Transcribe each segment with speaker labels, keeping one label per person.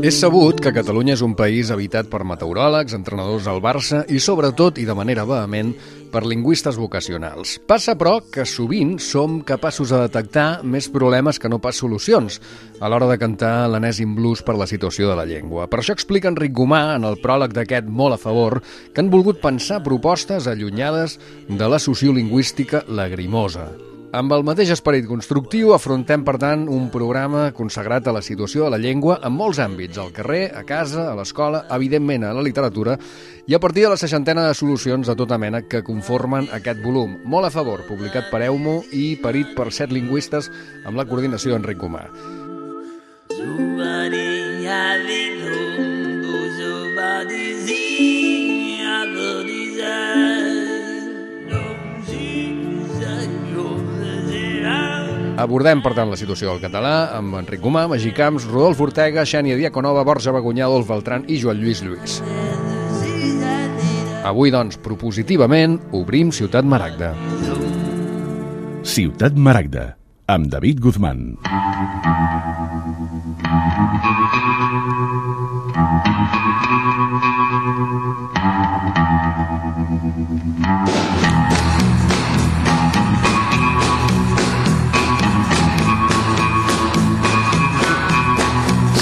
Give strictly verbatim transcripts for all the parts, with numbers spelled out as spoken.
Speaker 1: És sabut que Catalunya és un país habitat per meteoròlegs, entrenadors del Barça i, sobretot, i de manera vehement, per lingüistes vocacionals. Passa, però, que sovint som capaços de detectar més problemes que no pas solucions a l'hora de cantar l'enèsim blues per la situació de la llengua. Per això explica Enric Gomà, en el pròleg d'aquest Molt a favor, que han volgut pensar propostes allunyades de la sociolingüística lagrimosa. Amb el mateix esperit constructiu afrontem, per tant, un programa consagrat a la situació de la llengua en molts àmbits, al carrer, a casa, a l'escola, evidentment a la literatura, i a partir de la seixantena de solucions de tota mena que conformen aquest volum. Molt a favor, publicat per Eumo i parit per set lingüistes amb la coordinació d'Enric Gomà. Abordem, per tant, la situació del català amb Enric Gomà, Magí Camps, Rodolf Ortega, Xènia Diaconova, Borja Bagunyà, Adolf Beltrán i Joan Lluís Lluís. Avui, doncs, propositivament, obrim Ciutat Maragda.
Speaker 2: Ciutat Maragda, amb David Guzmán.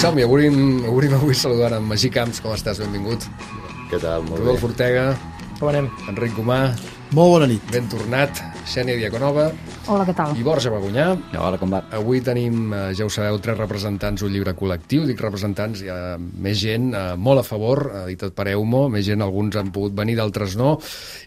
Speaker 1: Som-hi, obrim, obrim avui saludant en Magí Camps. Com estàs? Benvingut.
Speaker 3: Què tal? Molt
Speaker 1: Rodolf
Speaker 3: bé.
Speaker 1: Ortega.
Speaker 4: Com anem?
Speaker 1: Enric Gomà.
Speaker 5: Molt bona nit.
Speaker 1: Ben tornat. Xènia Diaconova.
Speaker 6: Hola, què tal?
Speaker 1: I Borja Bagunyà.
Speaker 3: Hola, com va?
Speaker 1: Avui tenim, eh, ja ho sabeu, tres representants d'un llibre col·lectiu. Dic representants, hi ha més gent, eh, molt a favor, editat per Eumo, més gent, alguns han pogut venir, d'altres no.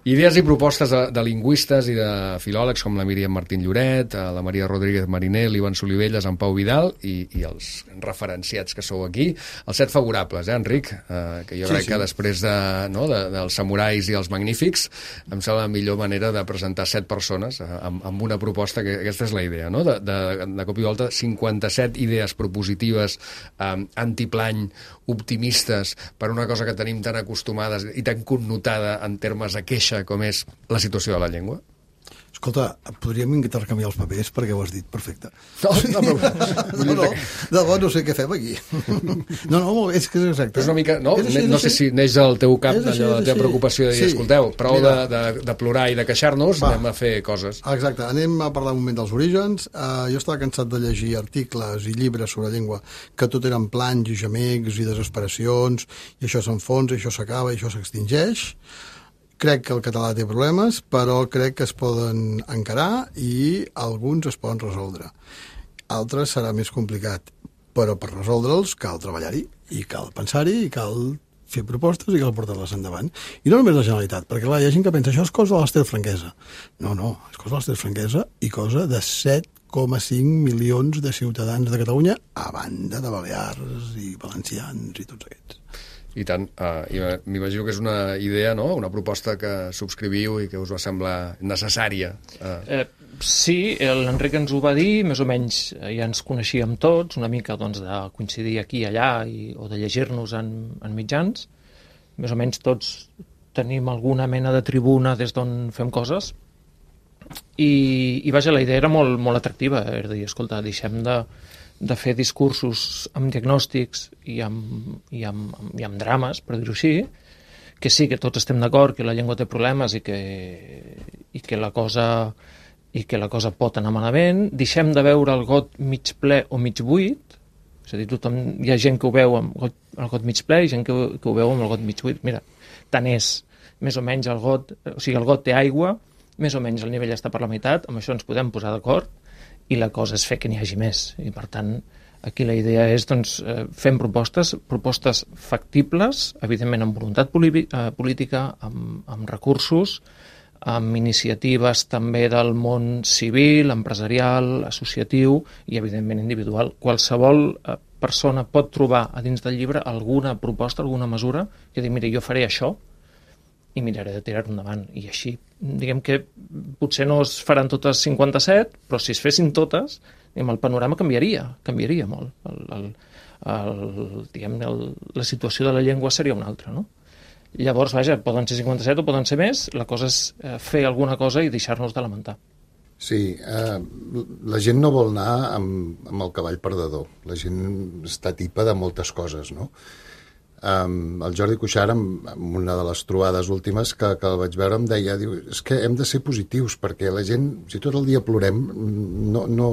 Speaker 1: Idees i propostes de, de lingüistes i de filòlegs com la Míriam Martín Lloret, eh, la Maria Rodríguez Mariner, l'Ivan Solivelles, en Pau Vidal i, i els referenciats que sou aquí. Els set favorables, eh, Enric? Eh, que jo
Speaker 5: Sí,
Speaker 1: crec
Speaker 5: sí.
Speaker 1: que després de, no, de, dels samurais i els magnífics em sembla la millor manera de presentar set persones eh, amb, amb una proposta, que aquesta és la idea, no? De, de, de cop i volta, cinquanta-set idees propositives, eh, antiplany, optimistes, per una cosa que tenim tan acostumades i tan connotada en termes de queixa com és la situació de la llengua.
Speaker 5: Escolta, podríem intercanviar els papers perquè ho has dit perfecte.
Speaker 1: No, no, però,
Speaker 5: No, no, de debò no sé què fem aquí. No, no, molt bé, és que és exacte.
Speaker 1: és una mica, no,
Speaker 5: És així,
Speaker 1: no
Speaker 5: és
Speaker 1: sé
Speaker 5: així.
Speaker 1: si neix del teu cap,
Speaker 5: És així,
Speaker 1: allò, de la
Speaker 5: és
Speaker 1: teva
Speaker 5: així.
Speaker 1: preocupació de dir,
Speaker 5: Sí.
Speaker 1: escolteu, prou de,
Speaker 5: Mira.
Speaker 1: de, de plorar i de queixar-nos,
Speaker 5: Va.
Speaker 1: anem a fer coses.
Speaker 5: Exacte, anem a parlar un moment dels orígens. Uh, jo estava cansat de llegir articles i llibres sobre llengua que tot eren planys i gemecs i desesperacions, i això s'enfonsa, i això s'acaba, i això s'extingeix. Crec que el català té problemes, però crec que es poden encarar i alguns es poden resoldre. Altres serà més complicat, però per resoldre'ls cal treballar-hi, i cal pensar-hi, i cal fer propostes i cal portar-les endavant. I no només la Generalitat, perquè clar, hi ha gent que pensa això és cosa de l'Ester Franquesa. No, no, és cosa de l'Ester Franquesa i cosa de set coma cinc milions de ciutadans de Catalunya, a banda de Balears i valencians i tots aquests.
Speaker 1: I tant, uh, i m'imagino que és una idea, no? Una proposta que subscriviu i que us va semblar necessària. Uh.
Speaker 4: Eh, sí, l'Enric ens ho va dir, més o menys eh, ja ens coneixíem tots, una mica doncs, de coincidir aquí i allà i, o de llegir-nos en, en mitjans. Més o menys tots tenim alguna mena de tribuna des d'on fem coses. I, i vaja, la idea era molt, molt atractiva, és a dir, escolta, deixem de, de fer discursos amb diagnòstics i amb, i amb, i amb drames, per dir-ho així, que sí, que tots estem d'acord que la llengua té problemes i que, i que la cosa i que la cosa pot anar malament. Deixem de veure el got mig ple o mig buit, és a dir, tothom, hi ha gent que ho veu amb got, el got mig ple i gent que, que ho veu amb el got mig buit. Mira, tant és, més o menys el got, o sigui, el got té aigua, més o menys el nivell està per la meitat, amb això ens podem posar d'acord, i la cosa és fer que n'hi hagi més. I, per tant, aquí la idea és, doncs, fem propostes, propostes factibles, evidentment amb voluntat política, amb, amb recursos, amb iniciatives també del món civil, empresarial, associatiu i, evidentment, individual. Qualsevol persona pot trobar a dins del llibre alguna proposta, alguna mesura, que digui, mira, jo faré això, i miraré de tirar-ho endavant. I així, diguem que potser no es faran totes cinquanta-set, però si es fessin totes, diguem, el panorama canviaria, canviaria molt. El, el, el, diguem, el, la situació de la llengua seria una altra, no? Llavors, vaja, poden ser cinquanta-set o poden ser més, la cosa és eh, fer alguna cosa i deixar-nos de lamentar.
Speaker 3: Sí, eh, la gent no vol anar amb, amb el cavall perdedor. La gent està tipa de moltes coses, no? Um, el Jordi Cuixart, en, en una de les trobades últimes que, que el vaig veure, em deia, diu, és que hem de ser positius, perquè la gent, si tot el dia plorem, no, no,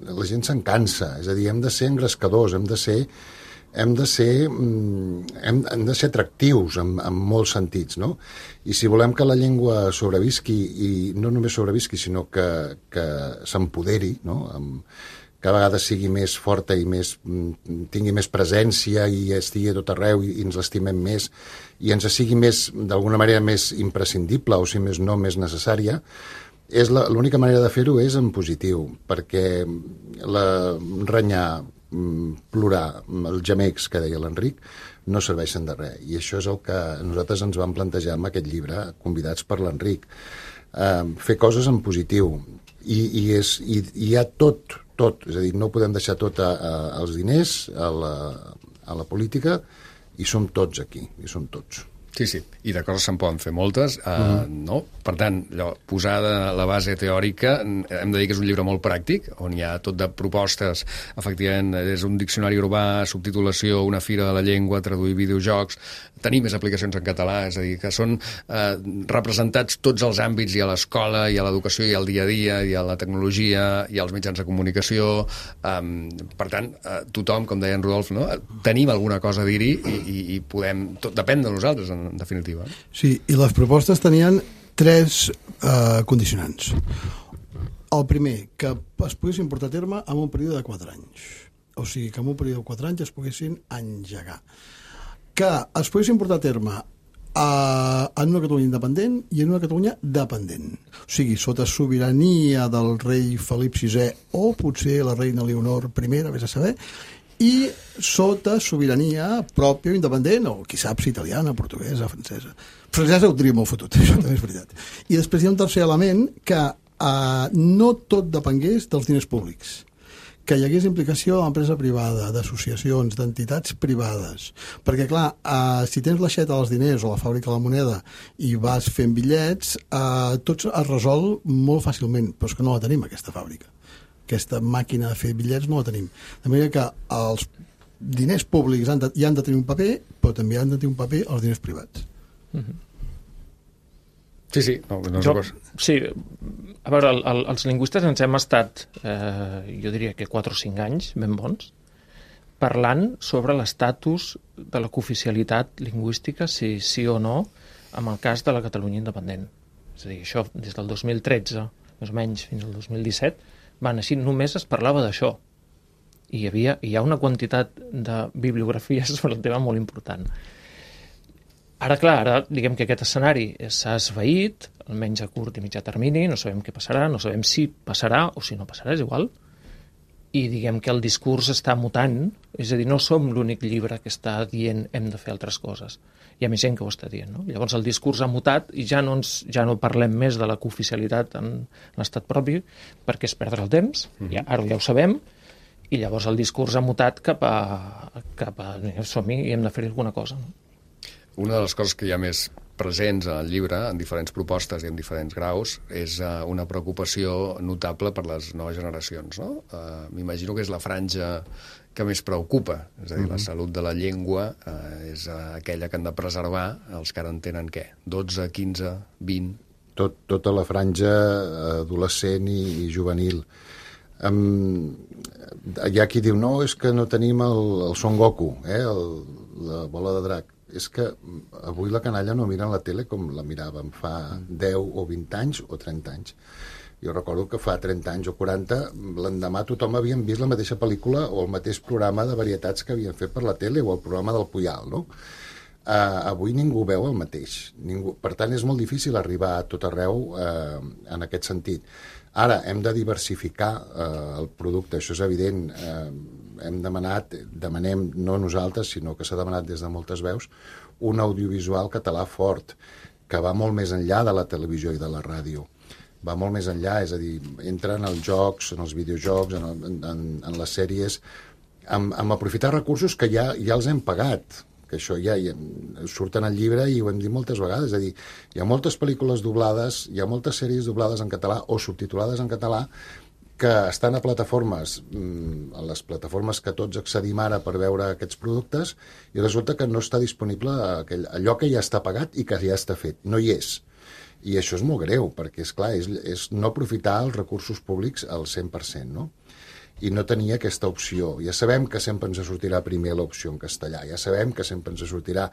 Speaker 3: la gent se'n cansa. És a dir, hem de ser engrescadors, hem de ser, hem de ser, hem, hem de ser atractius en, en molts sentits, no? I si volem que la llengua sobrevisqui, i no només sobrevisqui, sinó que, que s'empoderi, no?, amb, cada vegada sigui més forta i més, tingui més presència i estigui a tot arreu i, i ens l'estimem més i ens sigui més, d'alguna manera, més imprescindible o, si més no, més necessària, és l'única manera de fer-ho és en positiu, perquè la, renyar, plorar, els gemecs que deia l'Enric, no serveixen de res. I això és el que nosaltres ens vam plantejar amb aquest llibre, convidats per l'Enric. Eh, fer coses en positiu. I, i, és, i, i hi ha tot, tot, és a dir, no podem deixar tot a, a, als diners, a la, a la política, i som tots aquí, i som tots.
Speaker 1: Sí, sí, i de coses se'n poden fer moltes, uh, mm. no? Per tant, allò, posada la base teòrica, hem de dir que és un llibre molt pràctic, on hi ha tot de propostes, efectivament, és un diccionari urbà, subtitulació, una fira de la llengua, traduir videojocs, tenir més aplicacions en català, és a dir, que són eh, representats tots els àmbits, i a l'escola, i a l'educació, i al dia a dia, i a la tecnologia, i als mitjans de comunicació. Um, per tant, eh, tothom, com deia en Rodolf, no? Tenim alguna cosa a dir-hi i, i, i podem... Tot depèn de nosaltres, en, en definitiva.
Speaker 5: Sí, i les propostes tenien tres eh, condicionants. El primer, que es poguessin portar a terme en un període de quatre anys. O sigui, que en un període de quatre anys es poguessin engegar. Que es poguessin portar a terme a, en una Catalunya independent i en una Catalunya dependent. O sigui, sota sobirania del rei Felip sisè o potser la reina Leonor primera, vés a saber, i sota sobirania pròpia o independent, o qui sap si italiana, portuguesa, francesa. Francesa ho tria molt fotut, això també és veritat. I després hi ha un tercer element, que eh, no tot depengués dels diners públics, que hi hagués implicació de l'empresa privada, d'associacions, d'entitats privades. Perquè, clar, eh, si tens l'aixeta dels diners o la fàbrica de la moneda i vas fent bitllets, eh, tot es resol molt fàcilment, però és que no la tenim, aquesta fàbrica. Aquesta màquina de fer bitllets no la tenim. De manera que els diners públics han de, hi han de tenir un paper, però també han de tenir un paper els diners privats.
Speaker 4: Mm-hmm.
Speaker 1: Sí, sí. No, no
Speaker 4: jo, sí, a veure, el, el, els lingüistes ens hem estat, eh, jo diria que quatre o cinc anys, ben bons, parlant sobre l'estatus de la cooficialitat lingüística, si sí o no, en el cas de la Catalunya independent. És a dir, això des del dos mil tretze, més o menys, fins al dos mil disset, van així, només es parlava d'això. I hi havia, hi ha una quantitat de bibliografies sobre el tema molt important. Ara, clar, ara diguem que aquest escenari s'ha esvaït, almenys a curt i mitjà termini, no sabem què passarà, no sabem si passarà o si no passarà, és igual, i diguem que el discurs està mutant, és a dir, no som l'únic llibre que està dient hem de fer altres coses. Hi ha més gent que ho està dient, no? Llavors el discurs ha mutat i ja no, ens, ja no parlem més de la cooficialitat en l'estat propi perquè és perdre el temps, mm-hmm. ja, ara ja ho sabem, i llavors el discurs ha mutat cap a, cap a som-hi i hem de fer alguna cosa, no?
Speaker 1: Una de les coses que hi ha més presents al llibre, en diferents propostes i en diferents graus, és uh, una preocupació notable per les noves generacions, no? Uh, m'imagino que és la franja que més preocupa, és a dir, mm-hmm. la salut de la llengua uh, és uh, aquella que han de preservar els que ara en tenen, què? dotze, quinze, vint...
Speaker 3: Tot, tota la franja adolescent i, i juvenil. Um, hi ha qui diu, no, és que no tenim el, el Son Goku, eh, el, la bola de drac. És que avui la canalla no mira la tele com la miràvem fa deu o vint anys o trenta anys. Jo recordo que fa trenta anys o quaranta, l'endemà tothom havien vist la mateixa pel·lícula o el mateix programa de varietats que havien fet per la tele o el programa del Puyal, no? Uh, avui ningú veu el mateix. Ningú... Per tant, és molt difícil arribar a tot arreu uh, en aquest sentit. Ara, hem de diversificar uh, el producte, això és evident. Uh, hem demanat, demanem, no nosaltres, sinó que s'ha demanat des de moltes veus, un audiovisual català fort, que va molt més enllà de la televisió i de la ràdio. Va molt més enllà, és a dir, entra en els jocs, en els videojocs, en, en, en les sèries, amb, amb aprofitar recursos que ja, ja els hem pagat, que això ja, ja surt en el llibre i ho hem dit moltes vegades, és a dir, hi ha moltes pel·lícules doblades, hi ha moltes sèries doblades en català o subtitulades en català que estan a plataformes, a les plataformes que tots accedim ara per veure aquests productes, i resulta que no està disponible aquell, allò que ja està pagat i que ja està fet, no hi és. I això és molt greu, perquè, és clar, és, és no aprofitar els recursos públics al cent per cent, no? I no tenia aquesta opció. Ja sabem que sempre ens sortirà primer l'opció en castellà, ja sabem que sempre ens sortirà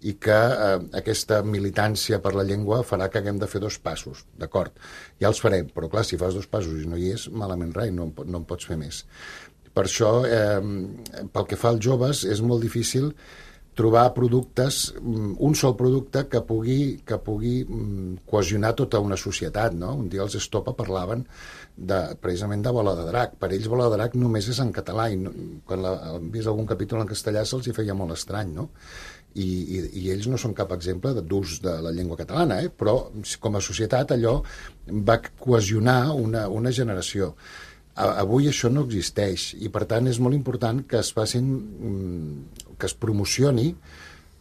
Speaker 3: i que eh, aquesta militància per la llengua farà que haguem de fer dos passos, d'acord, ja els farem, però clar, si fas dos passos i no hi és, malament rai, no, no en pots fer més. Per això, eh, pel que fa als joves, és molt difícil trobar productes, un sol producte que pugui, que pugui cohesionar tota una societat, no? Un dia els Estopa parlaven de, precisament de Bola de Drac. Per ells Bola de Drac només és en català i no, quan la, han vist algun capítol en castellà se'ls hi feia molt estrany, no? I, i, i ells no són cap exemple d'ús de la llengua catalana, eh? Però com a societat allò va cohesionar una, una generació. Avui això no existeix i per tant és molt important que es facin, que es promocioni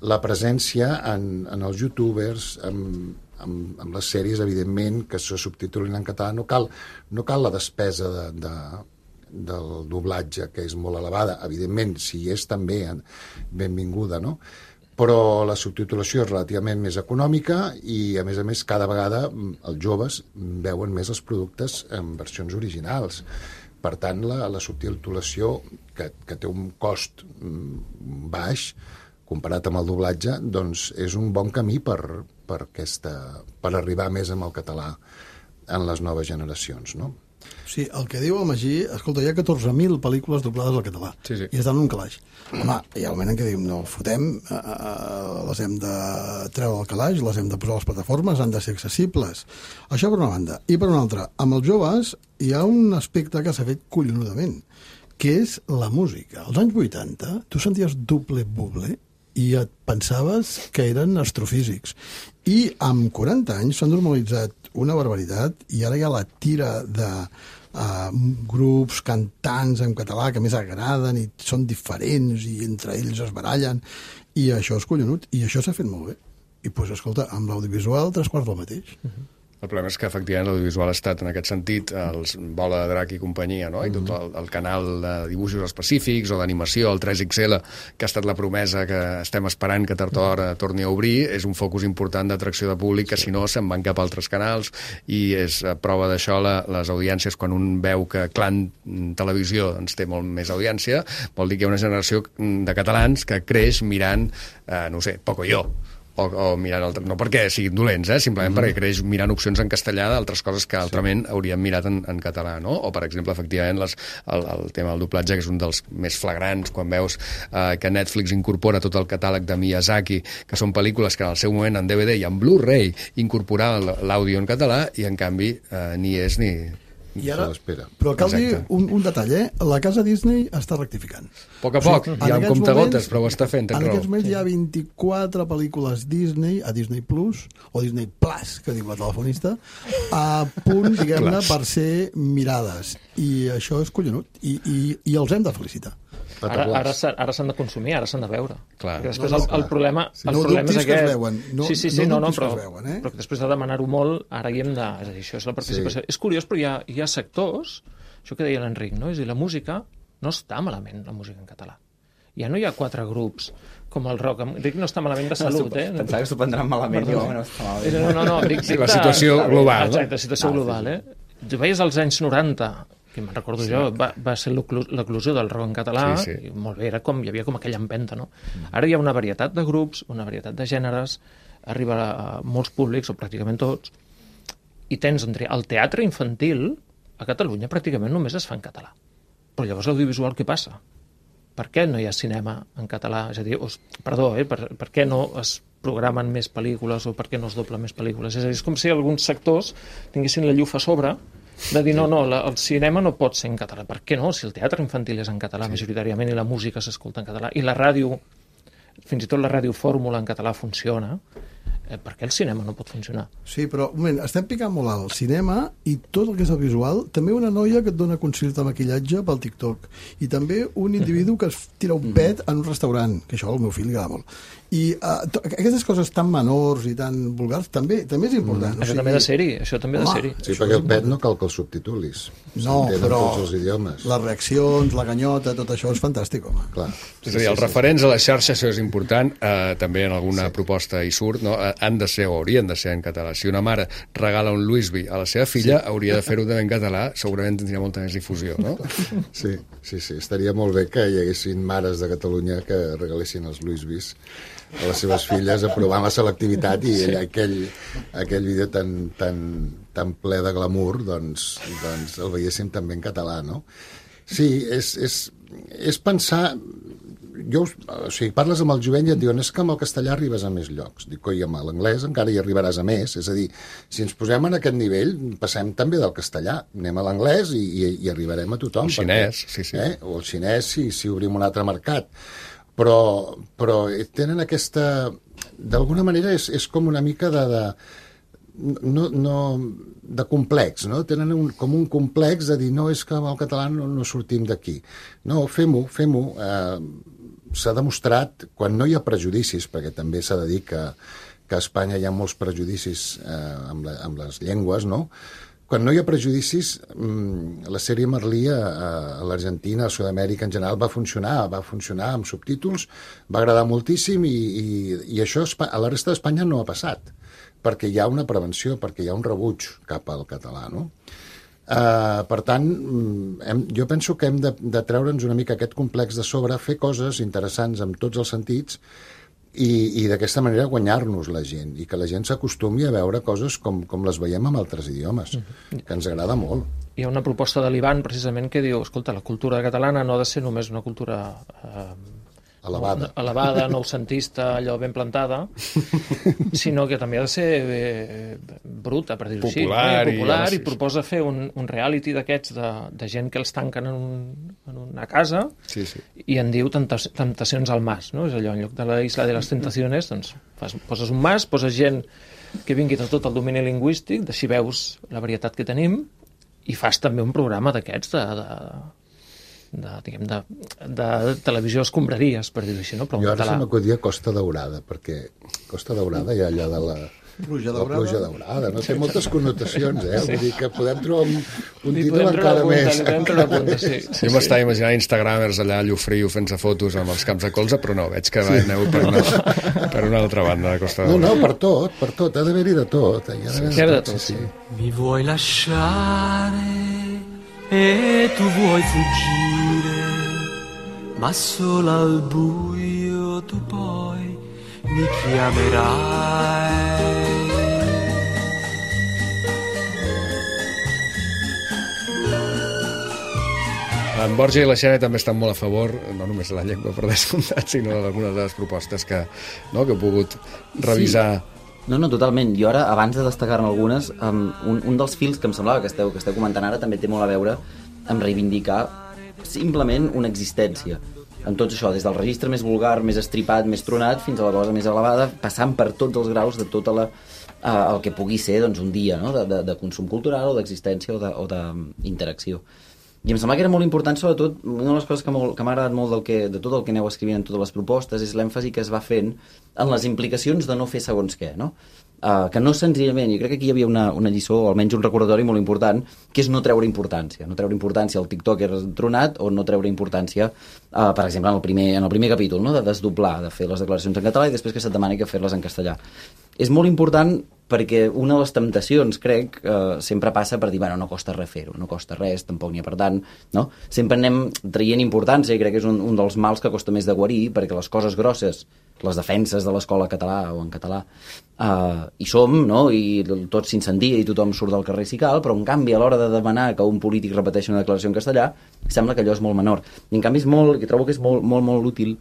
Speaker 3: la presència en, en els youtubers, amb, amb, amb les sèries, evidentment, que se subtitulin en català. No cal, no cal la despesa de, de, del doblatge, que és molt elevada. Evidentment, si és també benvinguda, no? Però la subtitulació és relativament més econòmica i, a més a més, cada vegada els joves veuen més els productes en versions originals. Per tant, la, la subtitulació, que, que té un cost baix, comparat amb el doblatge, doncs és un bon camí per, per, aquesta, per arribar més amb el català en les noves generacions, no?
Speaker 5: Sí, el que diu el Magí, escolta, hi ha catorze mil pel·lícules doblades al català,
Speaker 1: sí, sí.
Speaker 5: I estan en un calaix. Home, hi ha un moment en què diu, no, fotem, eh, les hem de treure del calaix, les hem de posar a les plataformes, han de ser accessibles. Això per una banda. I per una altra, amb els joves hi ha un aspecte que s'ha fet collonudament, que és la música. Als anys vuitanta, tu senties doble buble i et pensaves que eren astrofísics. I amb quaranta anys s'han normalitzat una barbaritat i ara hi ha la tira de uh, grups, cantants en català que més agraden i són diferents i entre ells es barallen i això és collonut i això s'ha fet molt bé. I doncs, escolta, amb l'audiovisual tres quarts del mateix. Uh-huh.
Speaker 1: El problema és que, efectivament, l'audiovisual ha estat, en aquest sentit, els Bola de Drac i companyia, no? I tot el, el canal de dibuixos específics o d'animació, el tres ics ele, que ha estat la promesa que estem esperant que tard o d'hora torni a obrir, és un focus important d'atracció de públic que, si no, se'n van cap a altres canals i és prova d'això la, les audiències. Quan un veu que Clan Televisió doncs, té molt més audiència, vol dir que hi ha una generació de catalans que creix mirant, eh, no sé, Pocoyo, o, o mirant altres, no perquè siguin dolents, eh? Simplement mm. perquè creix mirant opcions en castellà d'altres coses que altrament sí. hauríem mirat en, en català, no? O, per exemple, efectivament, les, el, el tema del doblatge, que és un dels més flagrants, quan veus eh, que Netflix incorpora tot el catàleg de Miyazaki, que són pel·lícules que en el seu moment en D V D i en Blu-ray incorporava l'àudio en català i, en canvi, eh, ni és ni...
Speaker 5: I ara, però cal Exacte. dir un, un detall, eh? La casa Disney està rectificant.
Speaker 1: A poc a poc, o sigui, hi ha un comptagotes, però ho està fent,
Speaker 5: en aquests moments hi ha vint-i-quatre pel·lícules Disney, a Disney Plus, o Disney Plus, que diu la telefonista, a punt, diguem-ne, per ser mirades. I això és collonut. I, i, i els hem de felicitar.
Speaker 4: Ara, ara, ara s'han de consumir, ara s'han de veure.
Speaker 1: Clar.
Speaker 4: Després
Speaker 5: no, no,
Speaker 4: el, el problema,
Speaker 5: sí,
Speaker 4: el
Speaker 5: no
Speaker 4: problema és aquest.
Speaker 5: Veuen. No,
Speaker 4: sí, sí, sí, no, no, no però,
Speaker 5: veuen, eh?
Speaker 4: però que després de demanar-ho molt, ara hi hem de... És a dir, això és la participació. Sí. És curiós, però hi ha, hi ha sectors, això que deia l'Enric, no? És a dir, la música no està malament, la música en català. Ja no hi ha quatre grups com el rock. Dic, no està malament de salut, no, eh?
Speaker 6: Pensava que s'ho prendran malament, jo, no està malament.
Speaker 4: No, no, no. Dic,
Speaker 1: sí, la situació de, global,
Speaker 4: no? Exacte, la situació no, global, sí, sí. eh? Tu veies als anys noranta, que me'n recordo sí. jo, va, va ser l'eclusió del rock en català, sí, sí. i molt bé, era com, hi havia com aquella empenta, no? Mm. Ara hi ha una varietat de grups, una varietat de gèneres, arriba a molts públics, o pràcticament tots, i tens el teatre infantil, a Catalunya pràcticament només es fa en català. Però llavors l'audiovisual què passa? Per què no hi ha cinema en català? És a dir, os, perdó, eh, per, per què no es programen més pel·lícules o per què no es doblen més pel·lícules? És a dir, és com si alguns sectors tinguessin la llufa a sobre de dir, no, no, la, el cinema no pot ser en català. Per què no? Si el teatre infantil és en català sí. majoritàriament i la música s'escolta en català i la ràdio, fins i tot la ràdio fórmula en català funciona, eh, per què el cinema no pot funcionar?
Speaker 5: Sí, però, un moment, estem picant molt alt. El cinema i tot el que és el visual, també una noia que et dona consells de maquillatge pel TikTok, i també un individu que es tira un pet en un restaurant, que això al meu fill li agrada molt. I uh, aquestes coses tan menors i tan vulgars també també és important.
Speaker 4: Mm. O això sigui... també ha de ser-hi, això també ha de ser-hi.
Speaker 3: Sí, perquè el pet no cal que el subtitulis.
Speaker 5: No, però
Speaker 3: tots els idiomes.
Speaker 5: Les reaccions, la ganyota, tot això és fantàstic, home.
Speaker 3: Clar.
Speaker 1: És a dir, els referents a la xarxa, això és important, eh, també en alguna sí. proposta hi surt, no? Han de ser o haurien de ser en català. Si una mare regala un Louisby a la seva filla, sí. hauria de fer-ho també en català, segurament tindria molta més difusió, no?
Speaker 3: Sí, sí, sí. Estaria molt bé que hi haguessin mares de Catalunya que regalessin els Louisbys a les seves filles, aprovant la selectivitat, i sí. aquell, aquell vídeo tan, tan, tan ple de glamour, doncs, doncs el veiéssim també en català, no? Sí, és, és, és pensar... Jo, o sigui, parles amb el jovent i et diuen és que amb el castellà arribes a més llocs. Dic, coi, amb l'anglès encara hi arribaràs a més. És a dir, si ens posem en aquest nivell, passem també del castellà. Anem a l'anglès i, i, i arribarem a tothom.
Speaker 1: El xinès, perquè, sí, sí.
Speaker 3: Eh? O el xinès, si, si obrim un altre mercat. Però, però tenen aquesta... D'alguna manera és, és com una mica de... de no, no, de complex, no? Tenen un, com un complex de dir no, és que amb el català no, no sortim d'aquí. No, fem-ho, fem-ho. Eh, s'ha demostrat, quan no hi ha prejudicis, perquè també s'ha de dir que, que a Espanya hi ha molts prejudicis eh, amb, la, amb les llengües, no? Quan no hi ha prejudicis, la sèrie Merlí a, a l'Argentina, a Sud-amèrica en general, va funcionar, va funcionar amb subtítols, va agradar moltíssim i, i, i això a la resta d'Espanya no ha passat, perquè hi ha una prevenció, perquè hi ha un rebuig cap al català, no? Uh, per tant, hem, jo penso que hem de, de treure'ns una mica aquest complex de sobre, fer coses interessants en tots els sentits, i, i d'aquesta manera guanyar-nos la gent i que la gent s'acostumi a veure coses com, com les veiem en altres idiomes, que ens agrada molt.
Speaker 4: Hi ha una proposta de l'Ivan precisament que diu, escolta, la cultura catalana no ha de ser només una cultura eh,
Speaker 3: elevada,
Speaker 4: elevada noucentista, allò ben plantada, sinó que també ha de ser eh, bruta, per dir-ho així,
Speaker 1: popular,
Speaker 4: eh? popular
Speaker 1: i,
Speaker 4: i proposa fer un, un reality d'aquests de, de gent que els tanquen en, un, en una casa
Speaker 1: sí, sí.
Speaker 4: i en diu Temptacions al Mas, no? És allò, en lloc de la Isla de les Tentaciones, doncs fas, poses un mas, poses gent que vingui de tot el domini lingüístic, així veus la varietat que tenim, i fas també un programa d'aquests de... de de, diguem, de, de televisió escombraries, per dir-ho així, no? Però
Speaker 3: jo ara
Speaker 4: català...
Speaker 3: se m'acudia Costa Daurada, perquè Costa Daurada hi ha allà de la...
Speaker 5: Pluja
Speaker 3: daurada. La pluja daurada, no? Té moltes connotacions, eh?
Speaker 4: Sí.
Speaker 3: Vull dir que podem trobar un, un títol encara
Speaker 4: punta,
Speaker 3: més...
Speaker 4: punta, punta, sí.
Speaker 1: Sí, jo m'estava imaginant instagramers allà a Llofriu fent-se fotos amb els camps de colze, però no, veig que sí. aneu per una, per una altra banda de Costa Daurada.
Speaker 3: No, no, per tot, per tot, ha d'haver-hi de tot. Ha d'haver-hi
Speaker 4: sí,
Speaker 3: de
Speaker 4: tot,
Speaker 3: tot, sí.
Speaker 7: Mi vuoi lasciare e tu vuoi fuggire, ma solo al buio tu poi mi chiamerai.
Speaker 1: En Borja i la Xènia també estan molt a favor, no només de la llengua per descomptat, sinó d'algunes de les propostes que, no, que he pogut revisar.
Speaker 6: Sí. No, no, totalment. Jo ara, abans de destacar-ne algunes, um, un, un dels fils que em semblava que esteu, que esteu comentant ara també té molt a veure amb reivindicar simplement una existència. En tot això, des del registre més vulgar, més estripat, més tronat, fins a la cosa més elevada, passant per tots els graus de tota la, uh, el que pugui ser doncs, un dia, no? de, de, de consum cultural o d'existència o d'interacció. I em sembla que era molt important, sobretot, una de les coses que, que m'ha agradat molt del que, de tot el que aneu escrivint en totes les propostes és l'èmfasi que es va fent en les implicacions de no fer segons què, no? Uh, que no senzillament, jo crec que aquí hi havia una, una lliçó, o almenys un recordatori molt important, que és no treure importància, no treure importància al TikToker tronat o no treure importància, uh, per exemple, en el primer, en el primer capítol, no? De desdoblar, de fer les declaracions en català i després que se't demani que fer-les en castellà. És molt important perquè una de les temptacions, crec, eh, sempre passa per dir, bueno, no costa res fer-ho, no costa res, tampoc n'hi ha per tant, no? Sempre anem traient importància i crec que és un, un dels mals que costa més de guarir, perquè les coses grosses, les defenses de l'escola català o en català, eh, hi som, no? I tot s'incendia i tothom surt del carrer si cal, però en canvi a l'hora de demanar que un polític repeteixi una declaració en castellà, sembla que allò és molt menor. I en canvi és molt, que trobo que és molt, molt, molt útil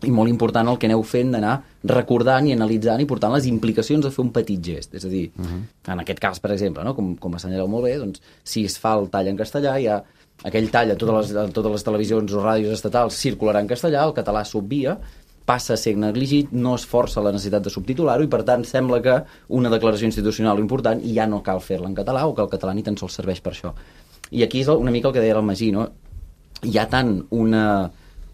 Speaker 6: i molt important el que aneu fent d'anar recordant i analitzant i portant les implicacions de fer un petit gest. És a dir, uh-huh. en aquest cas, per exemple, no? com, com assenyaleu molt bé, doncs, si es fa el tall en castellà, hi ha aquell tall a totes les, a totes les televisions o ràdios estatals circularà en castellà, el català s'obvia, passa a ser negligit, no es força la necessitat de subtitular-ho i per tant sembla que una declaració institucional important ja no cal fer-la en català o que el català ni tan sols serveix per això. I aquí és una mica el que deia el Magí, no? Hi ha tant una,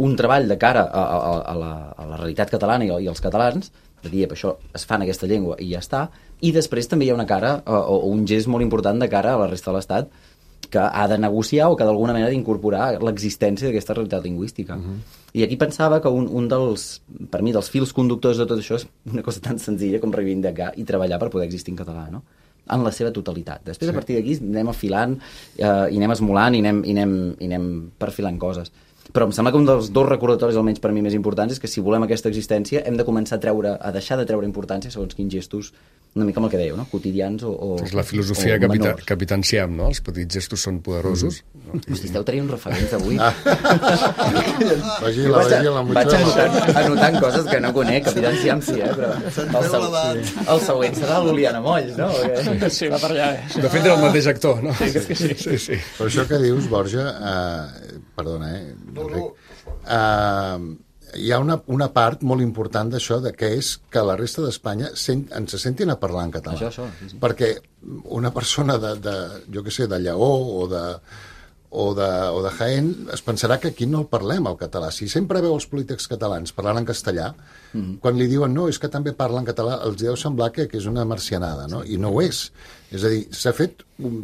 Speaker 6: un treball de cara a, a, a, la, a la realitat catalana i, i als catalans, de dir, això es fa en aquesta llengua i ja està, i després també hi ha una cara o, o un gest molt important de cara a la resta de l'Estat que ha de negociar o que d'alguna manera d'incorporar l'existència d'aquesta realitat lingüística. Uh-huh. I aquí pensava que un, un dels, per mi, dels fils conductors de tot això és una cosa tan senzilla com reivindicar i treballar per poder existir en català, no? En la seva totalitat. Després, sí. A partir d'aquí, anem afilant eh, i anem esmolant i anem, i, anem, i anem perfilant coses. Però em sembla que un dels dos recordatoris, almenys per mi, més importants és que si volem aquesta existència hem de començar a treure, a deixar de treure importància segons quins gestos, una mica amb el que dèieu, no? Quotidians o, o
Speaker 1: és la filosofia capita, Capitán Siam, no? Els petits gestos són poderosos.
Speaker 6: Mm. No? Hosti, esteu traient referents avui.
Speaker 3: Ah. Vagila, vagila, mucho.
Speaker 6: Vaig anotant, anotant coses que no conec, Capitán Siam sí, eh? Però el, següent, el següent serà l'Oliana Molls, no? Perquè...
Speaker 4: Sí, va per allà. Eh?
Speaker 1: De fet, era el mateix actor, no?
Speaker 4: Sí, que sí.
Speaker 1: sí, sí.
Speaker 3: Però això que dius, Borja, uh, perdona, eh? No, no. Uh, hi ha una, una part molt important d'això, de que és que la resta d'Espanya sent, ens se sentin a parlar en català.
Speaker 6: Això, això, sí, sí.
Speaker 3: Perquè una persona de, de jo què sé, de Lleó o de, o, de, o de Jaén es pensarà que aquí no el parlem, el català. Si sempre veu els polítics catalans parlant en castellà, mm-hmm. quan li diuen no, és que també parlen català, els deu semblar que, que és una marcianada, no? I no ho és. És a dir, s'ha fet,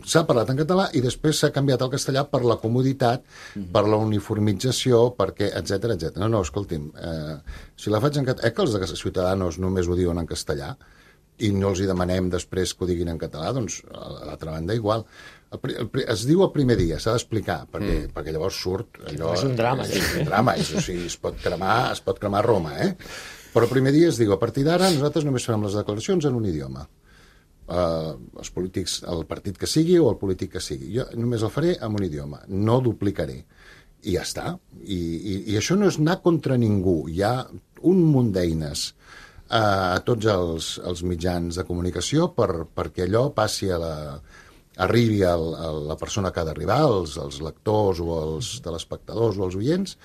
Speaker 3: s'ha parlat en català i després s'ha canviat al castellà per la comoditat, mm-hmm. per la uniformització, perquè, etcètera, etcètera. No, no, escolti'm, eh, si la faig en català... Eh, que els de Ciutadanos només ho diuen en castellà i no els hi demanem després que ho diguin en català, doncs, a l'altra banda, igual. El, el, es diu el primer dia, s'ha d'explicar, perquè, mm. perquè llavors surt allò...
Speaker 4: És un drama.
Speaker 3: És un drama, és, o sigui, es pot cremar, es pot cremar Roma, eh? Però el primer dia es diu, a partir d'ara nosaltres només farem les declaracions en un idioma. Uh, els polítics, el partit que sigui o el polític que sigui. Jo només el faré en un idioma, no duplicaré. I ja està. I, i, i això no és anar contra ningú. Hi ha un munt d'eines uh, a tots els, els mitjans de comunicació per, perquè allò passi a la... arribi a la persona que ha d'arribar, als, als lectors o als telespectadors o als oients,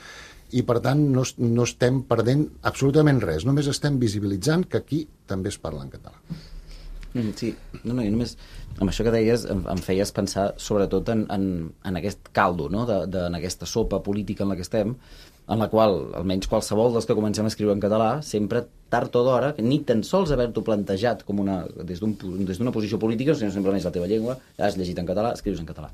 Speaker 3: i per tant no, no estem perdent absolutament res, només estem visibilitzant que aquí també es parla en català.
Speaker 6: Mm, sí, no, no, i només amb això que deies em, em feies pensar sobretot en, en, en aquest caldo, no? de, de, en aquesta sopa política en la que estem, en la qual, almenys qualsevol dels que comencem a escriure en català, sempre tard o d'hora, ni tan sols haver-t'ho plantejat com una, des d'una des d'una posició política, sinó simplement és la teva llengua, has llegit en català, escrius en català.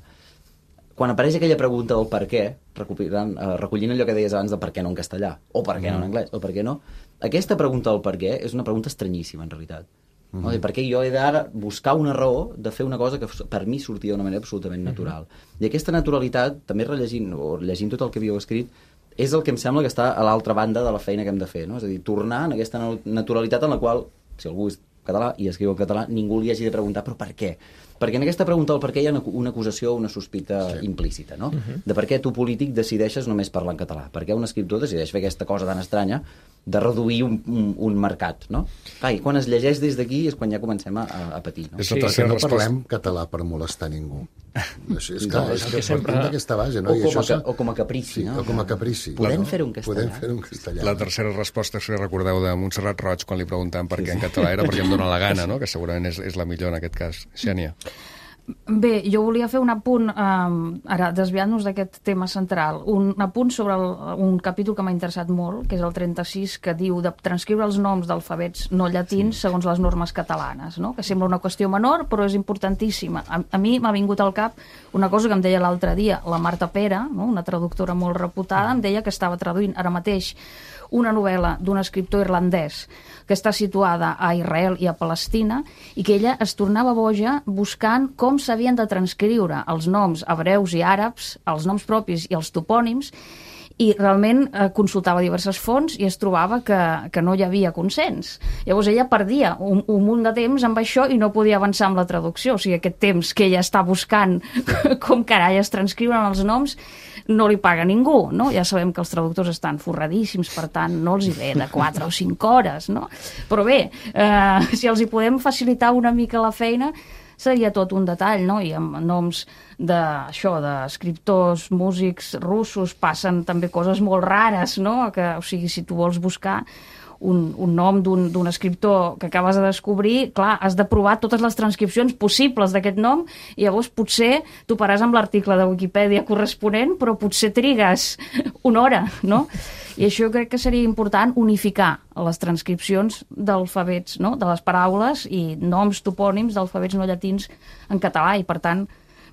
Speaker 6: Quan apareix aquella pregunta del per què, recollint, eh, recollint allò que deies abans de per què no en castellà, o per què no en anglès, o per què no, aquesta pregunta del per què és una pregunta estranyíssima, en realitat. Mm-hmm. No? Perquè jo he d'ara buscar una raó de fer una cosa que per mi sortia d'una manera absolutament natural. Mm-hmm. I aquesta naturalitat, també rellegint o llegint tot el que havíeu escrit, és el que em sembla que està a l'altra banda de la feina que hem de fer, no? És a dir, tornar en aquesta naturalitat en la qual, si algú és català i escriu en català, ningú li hagi de preguntar però per què? Perquè en aquesta pregunta del per què hi ha una acusació o una sospita sí. implícita, no? Uh-huh. De per què tu, polític, decideixes només parlar en català. Per què un escriptor decideix fer aquesta cosa tan estranya de reduir un, un, un mercat, no? Clar, i quan es llegeix des d'aquí és quan ja comencem a, a patir, no?
Speaker 3: És sí, que no parlem català per molestar ningú. Això és, clar, és que sempre... partim d'aquesta base, no?
Speaker 6: O,
Speaker 3: I
Speaker 6: com
Speaker 3: això
Speaker 6: a, o com a caprici,
Speaker 3: sí,
Speaker 6: no?
Speaker 3: O com a caprici.
Speaker 6: Podem
Speaker 3: no?
Speaker 6: fer-ho en castellà.
Speaker 3: Podem fer-ho en castellà.
Speaker 1: La tercera resposta, si recordeu, de Montserrat Roig, quan li preguntaven per què en català era perquè em dóna la gana, no? Que segurament és, és la millor en aquest cas. Xènia.
Speaker 8: Bé, jo volia fer un apunt, eh, ara desviant-nos d'aquest tema central, un apunt sobre el, un capítol que m'ha interessat molt, que és el trenta-sis, que diu de transcriure els noms d'alfabets no llatins sí. segons les normes catalanes, no? Que sembla una qüestió menor, però és importantíssima. A, a mi m'ha vingut al cap una cosa que em deia l'altre dia, la Marta Pera, no? Una traductora molt reputada, em deia que estava traduint ara mateix una novel·la d'un escriptor irlandès que està situada a Israel i a Palestina i que ella es tornava boja buscant com s'havien de transcriure els noms hebreus i àrabs, els noms propis i els topònims, i realment eh, consultava diverses fonts i es trobava que, que no hi havia consens. Llavors ella perdia un, un munt de temps amb això i no podia avançar amb la traducció. O sigui, aquest temps que ella està buscant com carai es transcriuen els noms no li paga ningú, no? Ja sabem que els traductors estan forradíssims, per tant no els hi ve de quatre o cinc hores, no? Però bé, eh, si els hi podem facilitar una mica la feina, seria tot un detall, no? I amb noms d'això, d'escriptors, músics russos, passen també coses molt rares, no? Que, o sigui, si tu vols buscar un, un nom d'un escriptor que acabes de descobrir, clar, has de provar totes les transcripcions possibles d'aquest nom i llavors potser tu paràs amb l'article de Wikipedia corresponent, però potser trigues una hora, no? I això crec que seria important unificar les transcripcions d'alfabets, no? De les paraules i noms topònims d'alfabets no llatins en català i, per tant,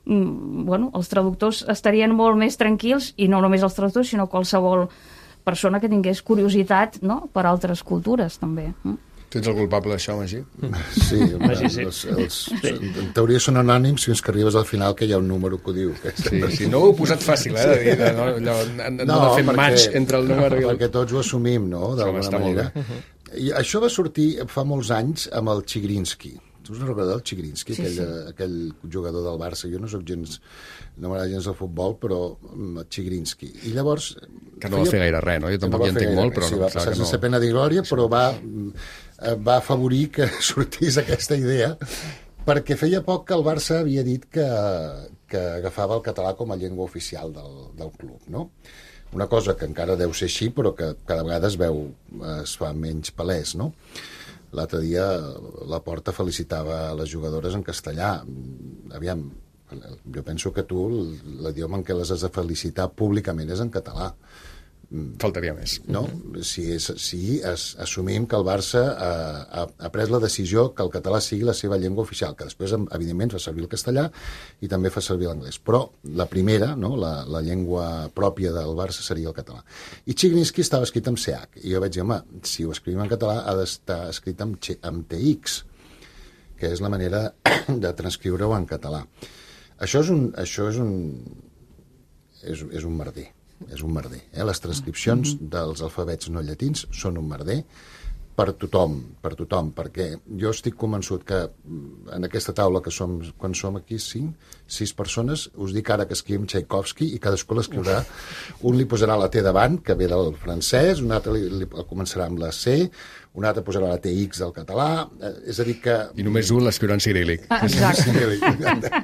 Speaker 8: bueno, els traductors estarien molt més tranquils, i no només els traductors, sinó qualsevol persona que tingués curiositat, no? Per altres cultures, també.
Speaker 1: Tu ets el culpable d'això, Magí?
Speaker 3: Sí, Magí, sí. Els, els, en teoria són anònims fins que arribes al final que hi ha un número que ho diu. Que
Speaker 1: sí, sí, no ho he posat fàcil, eh, de dir, de, no, allò, no, no de fer
Speaker 3: perquè,
Speaker 1: match entre el número i el...
Speaker 3: Perquè tots ho assumim, no?, d'alguna manera. I això va sortir fa molts anys amb el Chigrinsky. Tu us recordeu el Chigrinsky, sí, aquell, sí. aquell jugador del Barça? Jo no soc gens, no m'agrada gens el futbol, però el Chigrinsky. I llavors...
Speaker 1: Que no va fer gaire res, no? Jo tampoc hi entenc molt, però...
Speaker 3: Sí, va passar sense no... pena de glòria, però va, va afavorir que sortís aquesta idea, perquè feia poc que el Barça havia dit que, que agafava el català com a llengua oficial del, del club, no? Una cosa que encara deu ser així, però que cada vegada es veu, es fa menys palès, no? L'altre dia la Porta felicitava les jugadores en castellà. Aviam, jo penso que tu l'idioma en què les has de felicitar públicament és en català.
Speaker 1: Faltaria més.
Speaker 3: No? Si, és, si es, assumim que el Barça ha, ha, ha pres la decisió que el català sigui la seva llengua oficial, que després, evidentment, fa servir el castellà i també fa servir l'anglès. Però la primera, no? la, la llengua pròpia del Barça seria el català. I Chigrinsky estava escrit amb C H. I jo vaig dir, home, si ho escrivim en català ha d'estar escrit amb, amb T X, que és la manera de transcriure-ho en català. Això és un... Això és un, és, és un merder. És un merder. Eh? Les transcripcions dels alfabets no llatins són un merder per tothom, per tothom, perquè jo estic convençut que en aquesta taula, que som, quan som aquí cinc, sis persones, us dic ara que escrivim Tchaikovsky i cadascú l'escriurà, un li posarà la T davant, que ve del francès, un altre li, li començarà amb la C, un altre posarà la T X del català, eh, és a dir que...
Speaker 1: I només un l'escriurà en ciríl·lic.
Speaker 8: Ah, exacte.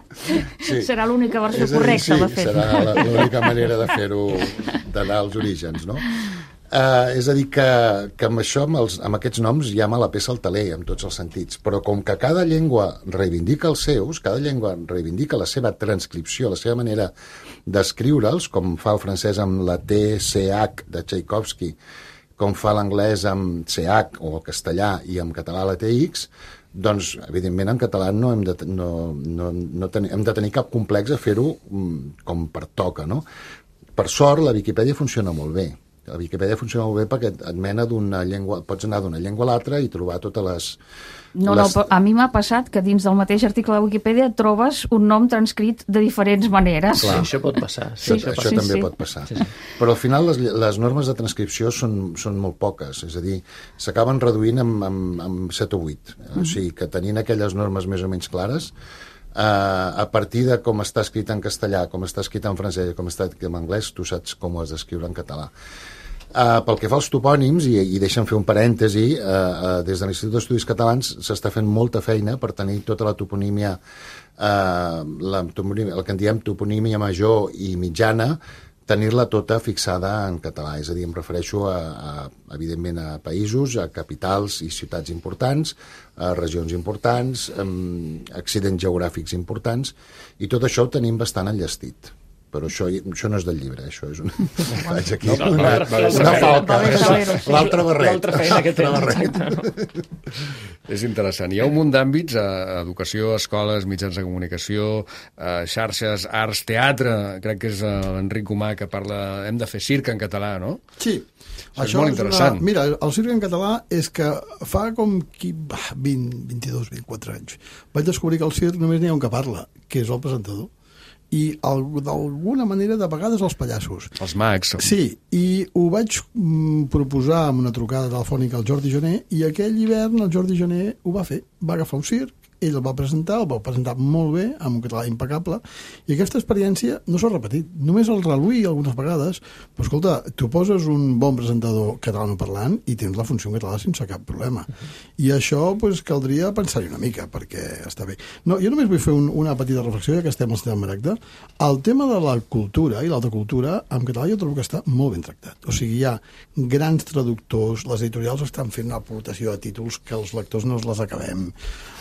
Speaker 8: Sí. Serà l'única versió
Speaker 3: dir,
Speaker 8: correcta,
Speaker 3: sí,
Speaker 8: de fet.
Speaker 3: Serà l'única manera de fer-ho, d'anar als orígens, no? Uh, és a dir que, que amb això, amb, els, amb aquests noms, ja me la peça el taler, en tots els sentits. Però com que cada llengua reivindica els seus, cada llengua reivindica la seva transcripció, la seva manera d'escriure'ls, com fa el francès amb la T C H de Tchaikovsky, com fa l'anglès amb C H o el castellà i en català la T X, doncs, evidentment, en català no hem de, no, no, no ten, hem de tenir cap complex a fer-ho com pertoca, no? Per sort, la Viquipèdia funciona molt bé. La Viquipèdia funciona molt bé perquè et mena d'una llengua, pots anar d'una llengua a l'altra i trobar totes les...
Speaker 8: No, les... no, a mi m'ha passat que dins del mateix article de Wikipedia trobes un nom transcrit de diferents maneres.
Speaker 4: Clar. Sí, això pot passar. Sí,
Speaker 3: sí, això, això sí, també sí. pot passar. Sí, sí. Però al final les, les normes de transcripció són, són molt poques, és a dir, s'acaben reduint amb, amb, amb set o vuit. Mm-hmm. O sigui, que tenint aquelles normes més o menys clares, Uh, a partir de com està escrit en castellà, com està escrit en francès, com està escrit en anglès, tu saps com ho has d'escriure en català. Uh, pel que fa als topònims, i, i deixa'm fer un parèntesi, uh, uh, des de l'Institut d'Estudis Catalans s'està fent molta feina per tenir tota la toponímia, uh, la toponímia, el que en diem toponímia major i mitjana, tenir-la tota fixada en català, és a dir, em refereixo a, a, evidentment a països, a capitals i ciutats importants, a regions importants, a accidents geogràfics importants, i tot això ho tenim bastant enllestit. Però això, això no és del llibre, això és un... Vaig aquí, no, una, una, una falca, l'altre barret.
Speaker 4: L'altra feina que tens.
Speaker 1: És interessant. Hi ha un munt d'àmbits, eh, educació, escoles, mitjans de comunicació, eh, xarxes, arts, teatre, crec que és eh, l'Enric Humà que parla... Hem de fer circ en català, no?
Speaker 5: Sí.
Speaker 1: Això, això és molt interessant.
Speaker 5: Una... Mira, el circ en català és que fa com vint, vint-i-dos, vint-i-quatre anys vaig descobrir que el circ només n'hi ha un que parla, que és el presentador. I d'alguna manera de vegades els pallassos.
Speaker 1: Els mags.
Speaker 5: Sí, i ho vaig mm, proposar amb una trucada telefònica al Jordi Jané i aquell hivern el Jordi Jané ho va fer. Va agafar un circ ell el va presentar, el va presentar molt bé, amb un català impecable, i aquesta experiència no s'ha repetit. Només el reluí algunes vegades, però escolta, tu poses un bon presentador catalanoparlant i tens la funció en català sense cap problema. I això pues, caldria pensar-hi una mica, perquè està bé. No, jo només vull fer un, una petita reflexió, ja que estem al tema Maragda. El tema de la cultura i l'alta cultura, en català jo trobo que està molt ben tractat. O sigui, hi ha grans traductors, les editorials estan fent una aportació de títols que els lectors no els les acabem,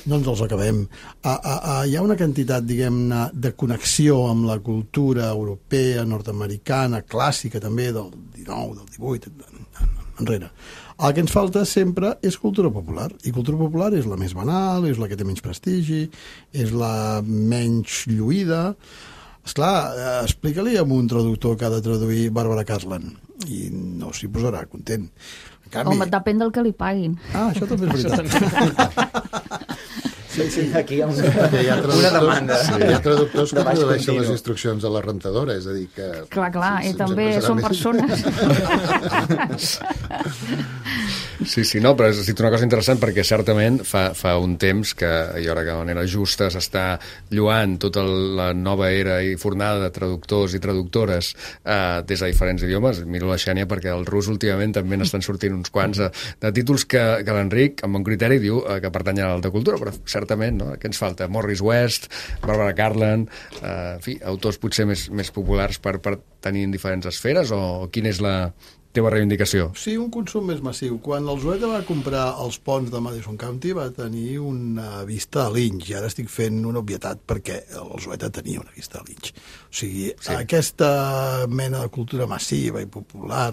Speaker 5: no ens els acabem. A, a, a, hi ha una quantitat, diguem-ne, de connexió amb la cultura europea, nord-americana, clàssica també, del dinou, del divuit, enrere. El que ens falta sempre és cultura popular, i cultura popular és la més banal, és la que té menys prestigi, és la menys lluïda. Esclar, explica-li a un traductor que ha de traduir Bàrbara Cartland, i no s'hi posarà content. En canvi...
Speaker 8: Home, depèn del que li paguin.
Speaker 5: Ah, això també és veritat.
Speaker 6: Sí, sí, aquí hi ha, un,
Speaker 3: hi ha
Speaker 6: una demanda.
Speaker 3: Sí, hi ha traductors que tradueixen les instruccions a la rentadora, és a dir que...
Speaker 8: Clar, clar, sí, i també són persones.
Speaker 1: Sí, sí, no, però has dit una cosa interessant perquè certament fa, fa un temps que i ara que de manera justa s'està lluant tota la nova era i fornada de traductors i traductores eh, des de diferents idiomes. Miro la Xènia perquè el rus últimament també n'estan sortint uns quants de, de títols que, que l'Enric, amb bon criteri, diu eh, que pertanyen a l'alta cultura, però certament, no? Què ens falta? Morris West, Barbara Cartland, eh, en fi, autors potser més, més populars per, per tenir en diferents esferes, o quina és la teva reivindicació?
Speaker 5: Sí, un consum més massiu. Quan el Zoeta va comprar els ponts de Madison County va tenir una vista a Lynch, i ara estic fent una obvietat perquè el Zoeta tenia una vista a Lynch. O sigui, sí. Aquesta mena de cultura massiva i popular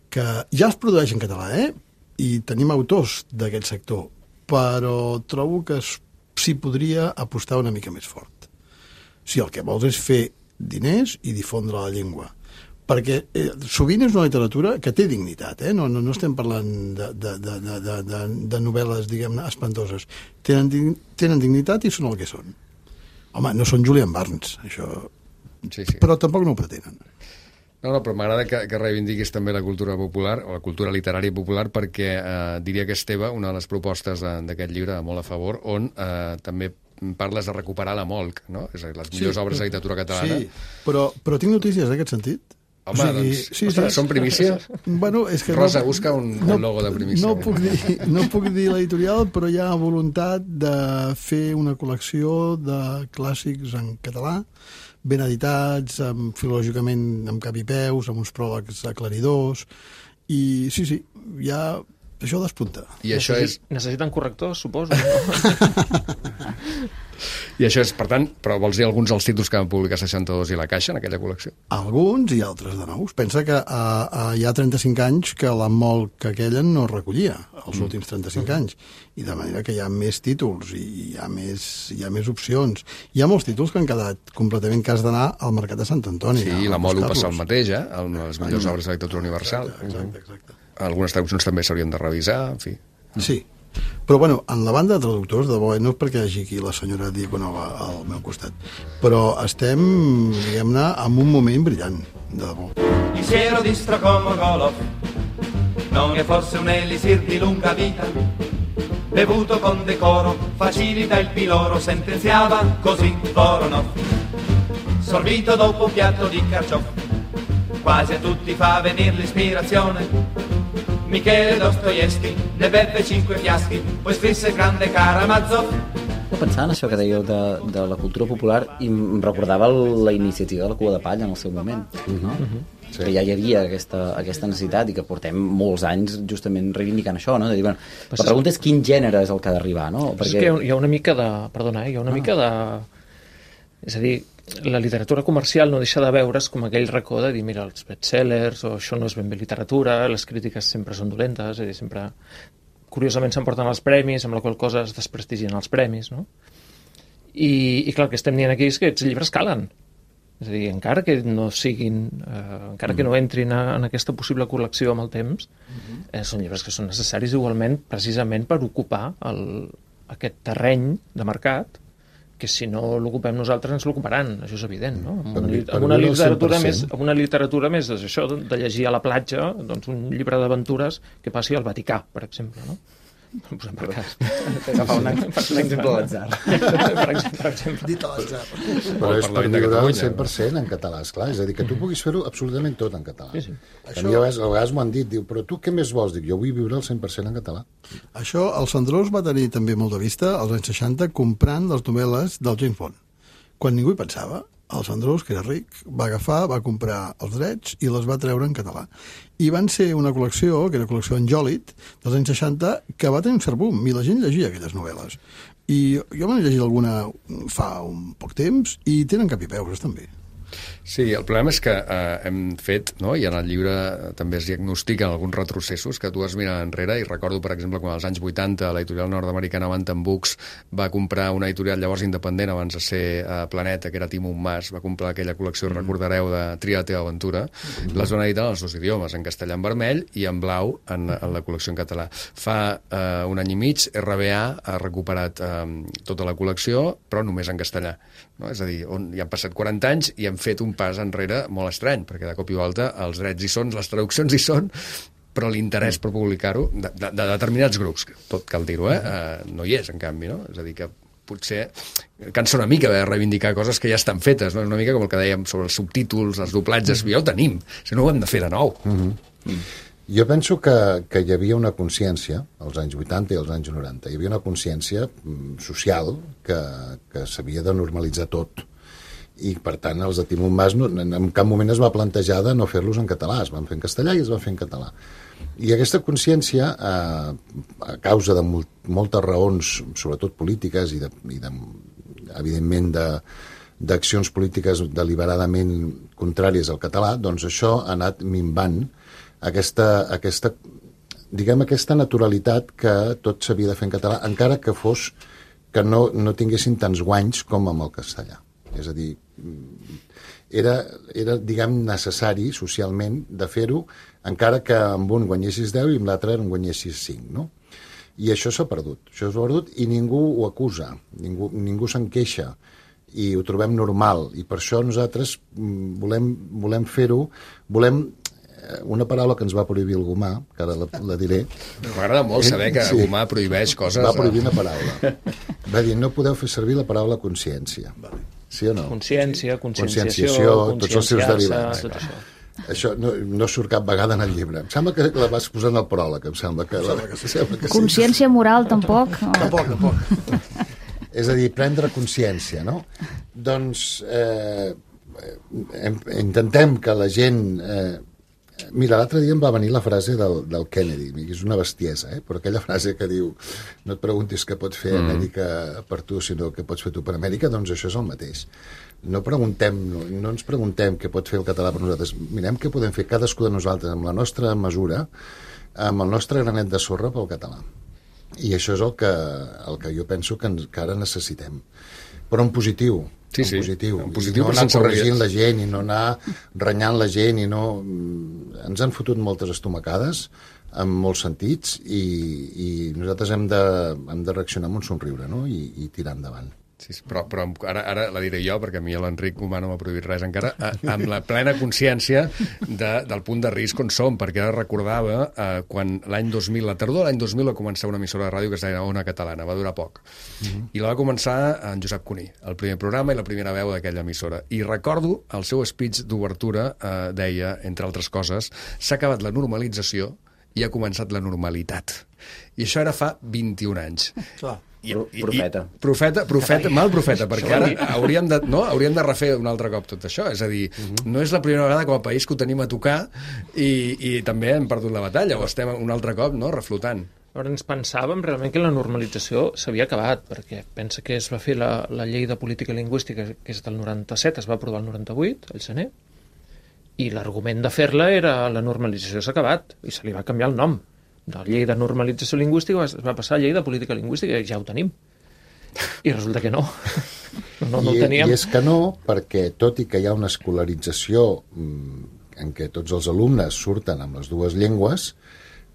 Speaker 5: que ja es produeix en català, eh? I tenim autors d'aquest sector, però trobo que s'hi podria apostar una mica més fort. Si el que vols és fer diners i difondre la llengua. Perquè eh, sovint és una literatura que té dignitat, eh? no, no, no estem parlant de, de, de, de, de, de novel·les, diguem-ne, espantoses. Tenen, tenen dignitat i són el que són. Home, no són Julian Barnes, això...
Speaker 1: Sí, sí.
Speaker 5: Però tampoc no ho pretenen.
Speaker 1: No, no, però m'agrada que, que reivindiquis també la cultura popular, o la cultura literària popular, perquè eh, diria que és teva una de les propostes d'aquest llibre, molt a favor, on eh, també parles de recuperar la Molc, no? És a dir, les millors sí, obres de literatura catalana.
Speaker 5: Sí, però, però tinc notícies en aquest sentit.
Speaker 1: Home, o sigui, doncs, sí, ostres, sí. Són primícia?
Speaker 5: Bueno, és que
Speaker 1: Rosa,
Speaker 5: no,
Speaker 1: busca un,
Speaker 5: no,
Speaker 1: un logo de primícia.
Speaker 5: No puc, dir, no puc dir l'editorial, però hi ha voluntat de fer una col·lecció de clàssics en català, ben editats, amb, filològicament amb cap i peus, amb uns pròlegs aclaridors, i sí, sí, ja això despunta.
Speaker 1: I això és...
Speaker 4: Necessiten correctors, suposo.
Speaker 1: I això és, per tant, però vols dir alguns dels títols que van publicar seixanta-dos i La Caixa en aquella col·lecció?
Speaker 5: Alguns i altres de nous. Pensa que uh, uh, hi ha trenta-cinc anys que la Molc aquella no recollia, els mm. últims trenta-cinc anys, i de manera que hi ha més títols i hi ha més, hi ha més opcions. Hi ha molts títols que han quedat completament que has d'anar al Mercat de Sant Antoni.
Speaker 1: Sí, la Mol ho passa el mateix, eh? Les millors mm. obres de literatura universal.
Speaker 5: Exacte, exacte.
Speaker 1: Algunes traduccions també s'haurien de revisar, en fi.
Speaker 5: Sí, però bueno, en la banda de traductors, de bo, no és perquè hi hagi aquí la senyora Diaconova al meu costat, però estem, diguem-ne, en un moment brillant, de debò.
Speaker 9: Il siero distro come Golov, non è forse un elisir di lunga vita, bevuto con decoro, facilita il piloro, sentenziava così Voronov, sorbito dopo un piatto di carciofi, quasi a tutti fa venir l'ispirazione. Michele Dostoevsky ne beve cinque fiaschi, poi scrisse grande Karamazov.
Speaker 6: Pensant en això que dèieu de, de la cultura popular, i em recordava la iniciativa de la Cua de Palla en el seu moment, uh-huh. no? Uh-huh. Sí. Que ja hi havia aquesta, aquesta necessitat i que portem molts anys justament reivindicant això, no? De dir, bueno, la pregunta és quin gènere és el que ha d'arribar, no?
Speaker 4: Perquè... És que hi ha una mica de... Perdona, eh? Hi ha una ah. mica de... És a dir, la literatura comercial no deixa de veure's com aquell racó de dir, mira, els bestsellers, o això no és ben bé literatura, les crítiques sempre són dolentes, és a dir, sempre, curiosament, s'emporten els premis, amb la qual cosa es desprestigien els premis, no? I, i clar, el que estem dient aquí és que aquests llibres calen. És a dir, encara que no siguin, eh, encara que no entrin a, en aquesta possible col·lecció amb el temps, eh, són llibres que són necessaris igualment, precisament per ocupar el, aquest terreny de mercat, que si no l'ocupem nosaltres ens l'ocuparan, això és evident, no? Amb una, amb una literatura més, amb una literatura més això de llegir a la platja, doncs un llibre d'aventures que passi al Vaticà, per exemple, no? Posem per cas.
Speaker 6: Agafar un exemple a l'atzar.
Speaker 4: Per exemple.
Speaker 5: Dit a l'atzar.
Speaker 3: Però és per
Speaker 1: Parlament de
Speaker 3: viure al
Speaker 1: Catalunya,
Speaker 3: cent per cent en català, esclar. És a dir, que tu puguis fer-ho absolutament tot en català.
Speaker 4: Sí, sí.
Speaker 3: A mi a vegades, a vegades m'ho han dit, diu, però tu què més vols? Dic, jo vull viure al cent per cent en català.
Speaker 5: Això, el Sandrós va tenir també molt de vista als anys seixanta comprant les novel·les del James Bond. Quan ningú hi pensava, el Sandrós, que era ric, va agafar, va comprar els drets i les va treure en català. I van ser una col·lecció, que era la col·lecció Anjòlit, dels anys seixanta, que va tenir un cert boom, i la gent llegia aquelles novel·les. I jo m'he llegit alguna fa un poc temps, i tenen cap i peus, també.
Speaker 1: Sí, el problema és que eh, hem fet, no? I en el llibre també es diagnostiquen alguns retrocessos que tu has mirat enrere, i recordo, per exemple, quan als anys vuitanta l'editorial nord-americana Bantam Books va comprar una editorial llavors independent abans de ser eh, Planeta, que era Timon Mas, va comprar aquella col·lecció, mm. recordareu, de Tria la teva aventura, mm. les van editar en els dos idiomes, en castellà en vermell i en blau en, en la col·lecció en català. Fa eh, un any i mig, R B A ha recuperat eh, tota la col·lecció, però només en castellà. No? És a dir, on hi han passat quaranta anys i han fet un pas enrere molt estrany, perquè de cop i volta els drets hi són, les traduccions hi són, però l'interès per publicar-ho de, de, de determinats grups, tot cal dir-ho, eh? Uh, no hi és, en canvi, no? És a dir, que potser cansa una mica de reivindicar coses que ja estan fetes, no? Una mica com el que dèiem sobre els subtítols, els doblatges, ja ho tenim, si no ho hem de fer de nou.
Speaker 3: Mm-hmm. Mm. Jo penso que, que hi havia una consciència, als anys vuitanta i als anys noranta, hi havia una consciència social que, que s'havia de normalitzar tot. I, per tant, els de Timon Mas no, en cap moment es va plantejar de no fer-los en català, es van fer en castellà i es van fer en català. I aquesta consciència, eh, a causa de molt, moltes raons, sobretot polítiques i, de, i de, evidentment, de, d'accions polítiques deliberadament contràries al català, doncs això ha anat minvant aquesta, aquesta, diguem, aquesta naturalitat que tot s'havia de fer en català, encara que fos que no, no tinguessin tants guanys com amb el castellà. És a dir, era, era diguem, necessari socialment de fer-ho, encara que amb un guanyessis deu i amb l'altre en guanyessis cinc, no? I això s'ha perdut, això s'ha perdut i ningú ho acusa, ningú, ningú se'n queixa i ho trobem normal, i per això nosaltres volem, volem fer-ho, volem una paraula que ens va prohibir el Gomà, que ara la, la diré.
Speaker 1: M'agrada molt saber que el Gomà prohibeix coses.
Speaker 3: Va prohibir una paraula. Va dir, no podeu fer servir la paraula consciència. Sí o no?
Speaker 4: Consciència, conscienciació,
Speaker 3: tots els seus derivats.
Speaker 4: Tot això.
Speaker 3: Això no, no surt cap vegada en el llibre. Em sembla que la vas posar en el pròleg, em sembla que... La,
Speaker 5: que sí.
Speaker 3: sembla que
Speaker 8: Consciència
Speaker 3: sí.
Speaker 8: moral, tampoc?
Speaker 5: Tampoc, tampoc.
Speaker 3: És a dir, prendre consciència, no? Doncs eh, intentem que la gent... Eh, Mira, l'altre dia em va venir la frase del, del Kennedy, que és una bestiesa, eh? Però aquella frase que diu no et preguntis què pot fer Amèrica per tu, sinó què pots fer tu per Amèrica, doncs això és el mateix. No preguntem, no, no ens preguntem què pot fer el català per nosaltres, mirem què podem fer cadascú de nosaltres amb la nostra mesura, amb el nostre granet de sorra pel català. I això és el que, el que jo penso que, ens, que ara necessitem. Però en positiu,
Speaker 1: Sí, sí,
Speaker 3: en positiu.
Speaker 1: en positiu,
Speaker 3: no
Speaker 1: però
Speaker 3: anar
Speaker 1: sense
Speaker 3: corregint la gent i no anar renyant la gent i no... Ens han fotut moltes estomacades en molts sentits i, i nosaltres hem de, hem de reaccionar amb un somriure, no? I, i tirar endavant.
Speaker 1: Sí, però, però ara, ara la diré jo, perquè a mi l'Enric Gomà no m'ha prohibit res encara, a, amb la plena consciència de, del punt de risc on som, perquè ara recordava eh, quan l'any dos mil, la tardor de l'any dos mil va començar una emissora de ràdio que es deia Ona Catalana, va durar poc. Uh-huh. I la va començar en Josep Cuní, el primer programa i la primera veu d'aquella emissora. I recordo el seu speech d'obertura, eh, deia, entre altres coses, s'ha acabat la normalització i ha començat la normalitat. I això era fa vint-i-un anys.
Speaker 5: Clar.
Speaker 1: I, i,
Speaker 6: profeta.
Speaker 1: I, profeta, profeta, mal profeta, perquè ara hauríem de, no, hauríem de refer un altre cop tot això. És a dir, uh-huh. no és la primera vegada com a país que ho tenim a tocar i, i també hem perdut la batalla, o estem un altre cop no, reflotant.
Speaker 4: Llavors ens pensàvem realment que la normalització s'havia acabat, perquè pensa que es va fer la, la llei de política lingüística, que és del noranta-set, es va aprovar el noranta-vuit, el Sener, i l'argument de fer-la era la normalització s'ha acabat, i se li va canviar el nom. De la llei de normalització lingüística es va passar a llei de política lingüística, i ja ho tenim. I resulta que no. No, no, no
Speaker 3: I,
Speaker 4: ho teníem.
Speaker 3: I és que no, perquè tot i que hi ha una escolarització en què tots els alumnes surten amb les dues llengües,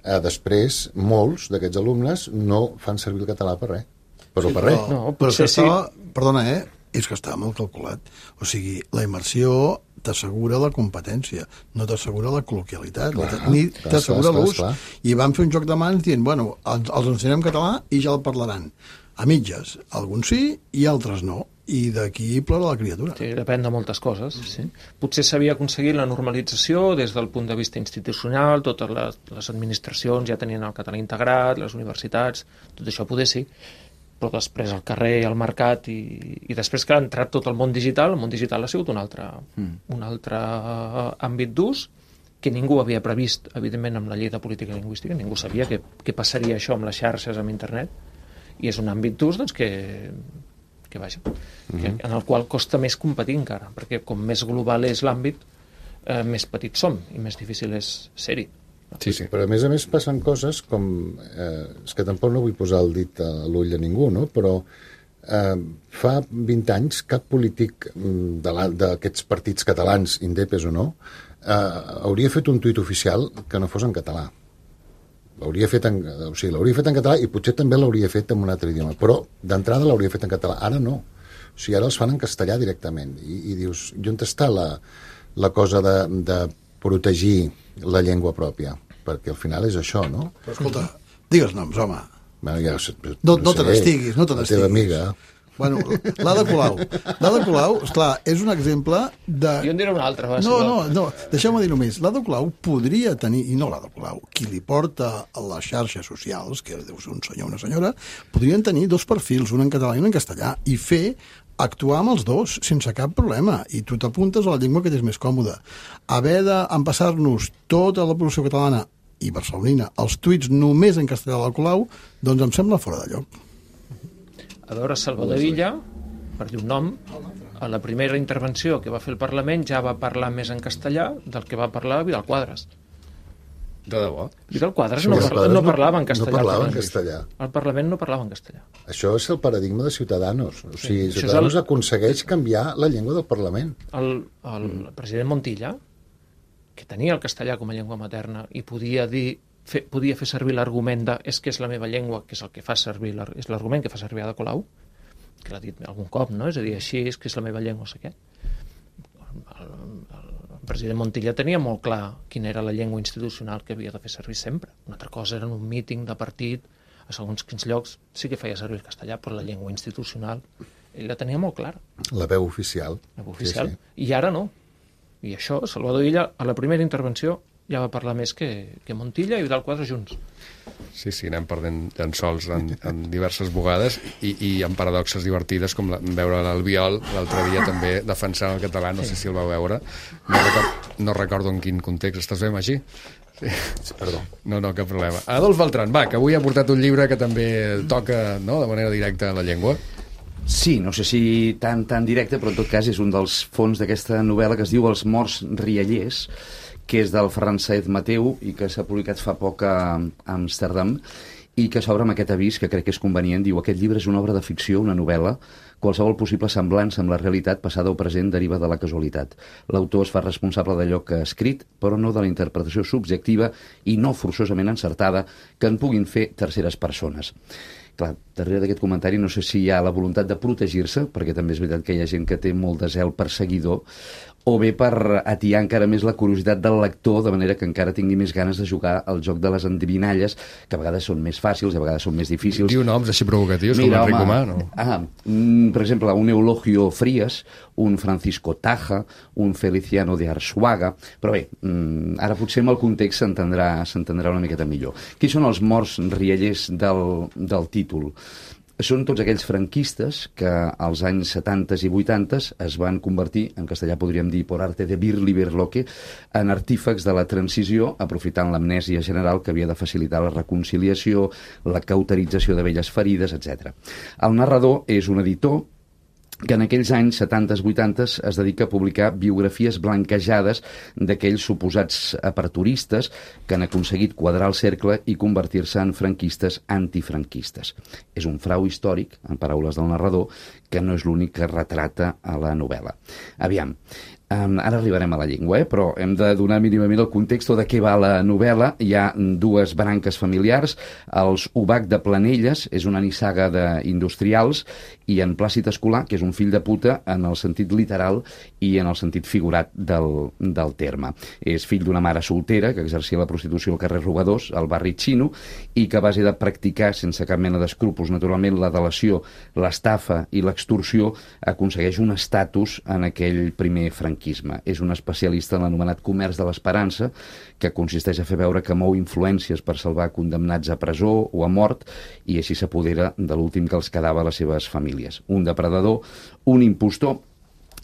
Speaker 3: eh, després molts d'aquests alumnes no fan servir el català per res. Però
Speaker 5: sí,
Speaker 3: per res.
Speaker 4: No,
Speaker 5: però
Speaker 4: potser
Speaker 5: això estava, perdona, eh? és que estava molt calculat. O sigui, la immersió t'assegura la competència, no t'assegura la col·loquialitat, clar, ni t'assegura l'ús. I van fer un joc de mans dient, bueno, els, els ensenyem català i ja el parlaran. A mitges, alguns sí i altres no. I d'aquí plora la criatura.
Speaker 4: Sí, depèn de moltes coses. Sí. Potser s'havia aconseguit la normalització des del punt de vista institucional, totes les, les administracions ja tenien el català integrat, les universitats, tot això poder sí, però després al carrer, al mercat, i, i després que ha entrat tot el món digital, el món digital ha sigut un altre, mm. un altre àmbit d'ús que ningú havia previst, evidentment, amb la llei de política lingüística, ningú sabia què, què passaria això amb les xarxes, amb internet, i és un àmbit d'ús doncs, que, que, vaja, mm-hmm. que, en el qual costa més competir encara, perquè com més global és l'àmbit, eh, més petits som i més difícil és ser-hi.
Speaker 3: Sí, sí. Però a més a més passen coses com... Eh, és que tampoc no vull posar el dit a l'ull a ningú, no? Però eh, fa vint anys cap polític d'aquests partits catalans, indepes o no, eh, hauria fet un tuit oficial que no fos en català. L'hauria fet en, o sigui, l'hauria fet en català i potser també l'hauria fet en un altre idioma, però d'entrada l'hauria fet en català. Ara no. O sigui, ara els fan en castellà directament. I, i dius, i on està la, la cosa de, de protegir la llengua pròpia? Perquè al final és això, no?
Speaker 5: Però escolta, digues noms, home.
Speaker 3: Bueno, ja,
Speaker 5: no, no, no te n'estiguis, no te n'estiguis.
Speaker 3: La teva amiga...
Speaker 5: Bueno, l'Ada Colau. L'Ada Colau, esclar, és un exemple de...
Speaker 4: Jo en diré una altra. Va,
Speaker 5: no, no, no, deixeu-me dir només. L'Ada Colau podria tenir, i no l'Ada Colau, qui li porta a les xarxes socials, que deu ser un senyor o una senyora, podrien tenir dos perfils, un en català i un en castellà, i fer actuar amb els dos, sense cap problema, i tu t'apuntes a la llengua que t'és més còmoda. Haver d'empassar-nos tota la població catalana i barcelonina els tuits només en castellà de la Colau, doncs em sembla fora de lloc.
Speaker 4: A veure, Salvador Illa, per dir un nom, a la primera intervenció que va fer el Parlament ja va parlar més en castellà del que va parlar Vidal Quadras.
Speaker 1: De debò?
Speaker 4: Vidal Quadras no, parla, no parlava en castellà.
Speaker 3: No parlava en castellà.
Speaker 4: El Parlament no parlava en castellà.
Speaker 3: Això és el paradigma de Ciutadanos. O sigui, sí, Ciutadanos el... aconsegueix canviar la llengua del Parlament.
Speaker 4: El, el mm. president Montilla, que tenia el castellà com a llengua materna i podia dir Fe, podia fer servir l'argument de és que és la meva llengua, que és el que fa servir és l'argument que fa servir Ada Colau, que l'ha dit algun cop, no? És a dir, així és que és la meva llengua, no sé què. El, el, el president Montilla tenia molt clar quina era la llengua institucional que havia de fer servir sempre. Una altra cosa era en un míting de partit, a segons quins llocs sí que feia servir el castellà, però la llengua institucional ell la tenia molt clara.
Speaker 3: La veu oficial.
Speaker 4: La veu oficial.
Speaker 3: Sí, sí.
Speaker 4: I ara no. I això, Salvador Illa, a la primera intervenció ja va parlar més que, que Montilla i Vidal Quadras junts.
Speaker 1: Sí, sí, anem perdent llençols en, en diverses vegades i, i en paradoxes divertides, com la, veure l'Albiol l'altre dia també defensant el català, no sí. sé si el vau veure. No recordo, no recordo en quin context. Estàs bé, Magí? Sí.
Speaker 3: Sí, perdó.
Speaker 1: No, no, cap problema. Adolf Beltran, va, que avui ha portat un llibre que també toca, no?, de manera directa en la llengua.
Speaker 10: Sí, no sé si tan, tan directe, però en tot cas és un dels fons d'aquesta novel·la que es diu Els morts riallers, que és del Ferran Saez Mateu i que s'ha publicat fa poc a Amsterdam i que s'obre amb aquest avís que crec que és convenient. Diu, aquest llibre és una obra de ficció, una novel·la. Qualsevol possible semblança amb la realitat passada o present deriva de la casualitat. L'autor es fa responsable d'allò que ha escrit, però no de la interpretació subjectiva i no forçosament encertada que en puguin fer terceres persones. Clar, darrere d'aquest comentari no sé si hi ha la voluntat de protegir-se, perquè també és veritat que hi ha gent que té molt de zel perseguidor, o bé per atiar encara més la curiositat del lector, de manera que encara tingui més ganes de jugar al joc de les endevinalles, que a vegades són més fàcils, a vegades són més difícils.
Speaker 1: Diu noms així provocatius, com Enric Humà, no?
Speaker 10: Ah, mm, per exemple, un Eulogio Frías, un Francisco Taja, un Feliciano de Arsuaga, però bé, mm, ara potser amb el context s'entendrà s'entendrà una miqueta millor. Qui són els morts riallers del, del títol? Són tots aquells franquistes que als anys setanta i vuitanta es van convertir, en castellà podríem dir por arte de Birli-Berloque, en artífecs de la transició, aprofitant l'amnèsia general que havia de facilitar la reconciliació, la cauterització de velles ferides, etcètera. El narrador és un editor que en aquells anys setanta vuitanta es dedica a publicar biografies blanquejades d'aquells suposats aperturistes que han aconseguit quadrar el cercle i convertir-se en franquistes antifranquistes. És un frau històric, en paraules del narrador, que no és l'únic que retrata a la novel·la. Aviam, Um, ara arribarem a la llengua, eh? Però hem de donar mínimament el context de què va la novel·la. Hi ha dues branques familiars, els Ubach de Planelles, és una nissaga d'industrials, i en Plàcid Escolà, que és un fill de puta en el sentit literal i en el sentit figurat del, del terme. És fill d'una mare soltera que exercia la prostitució al carrer Robadors, al barri Xino, i que a base de practicar sense cap mena d'escrúpols, naturalment, la delació, l'estafa i l'extorsió, aconsegueix un estatus en aquell primer franquisme. És un especialista en l'anomenat comerç de l'esperança, que consisteix a fer veure que mou influències per salvar condemnats a presó o a mort, i així s'apodera de l'últim que els quedava a les seves famílies. Un depredador, un impostor.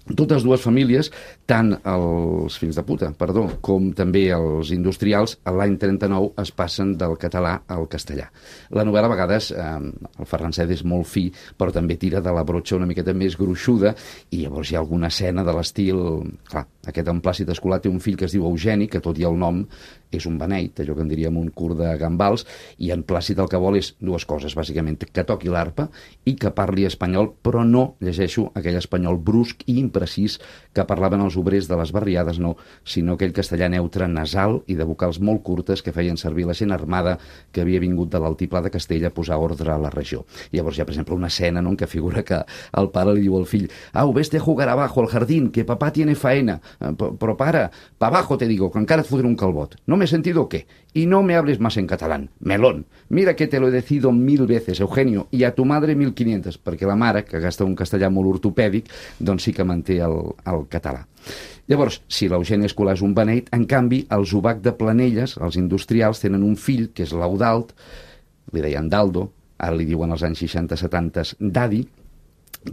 Speaker 10: Totes dues famílies, tant els fills de puta, perdó, com també els industrials, a l'any trenta-nou es passen del català al castellà. La novel·la a vegades, eh, el Ferran Sede és molt fi, però també tira de la brotxa una miqueta més gruixuda, i llavors hi ha alguna escena de l'estil... Clar, aquest en Plàcid Escolà té un fill que es diu Eugeni, que tot i el nom és un beneit, allò que en diríem un curt de gambals, i en Plàcid el que vol és dues coses, bàsicament, que toqui l'arpa i que parli espanyol, però no, llegeixo, aquell espanyol brusc i imprecís que parlaven els obrers de les barriades, no, sinó aquell castellà neutre, nasal i de vocals molt curtes que feien servir la gent armada que havia vingut de l'altiplà de Castella a posar ordre a la regió. Llavors hi ha, per exemple, una escena, no?, en què figura que el pare li diu al fill: «Au, vés-te a jugar abajo al jardín, que papá tiene faena». «Però pare, pa abajo te digo, que encara et fotré un calbot. ¿No me he sentido o qué? Y no me hables más en catalán. Melón. Mira que te lo he decido mil veces, Eugenio, y a tu madre mil quinientas», perquè la mare, que gasta un castellà molt ortopèdic, doncs sí que manté el, el català. Llavors, si l'Eugeni Escolà és un beneit, en canvi, els Ubach de Planelles, els industrials, tenen un fill, que és l'Eudald, li deien Daldo, ara li diuen als anys seixanta setanta Dadi,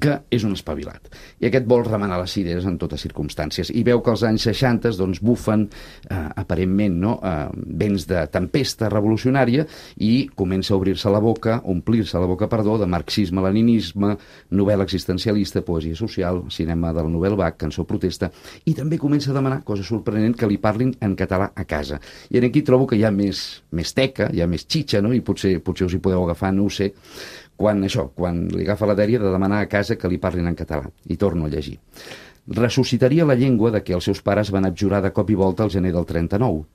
Speaker 10: que és un espavilat. I aquest vol remenar les cireres en totes circumstàncies. I veu que als anys seixanta doncs, bufen, eh, aparentment, no? eh, vents de tempesta revolucionària, i comença a obrir-se la boca, omplir-se la boca, perdó, de marxisme, leninisme, novel·la existencialista, poesia social, cinema del Novel Bach, cançó protesta, i també comença a demanar, cosa sorprenent, que li parlin en català a casa. I aquí trobo que hi ha més, més teca, hi ha més xitxa, no? I potser, potser us hi podeu agafar, no ho sé, quan això, quan li agafa la dèria de demanar a casa que li parlin en català. I torno a llegir. Ressuscitaria la llengua de què els seus pares van abjurar de cop i volta al gener del trenta-nou.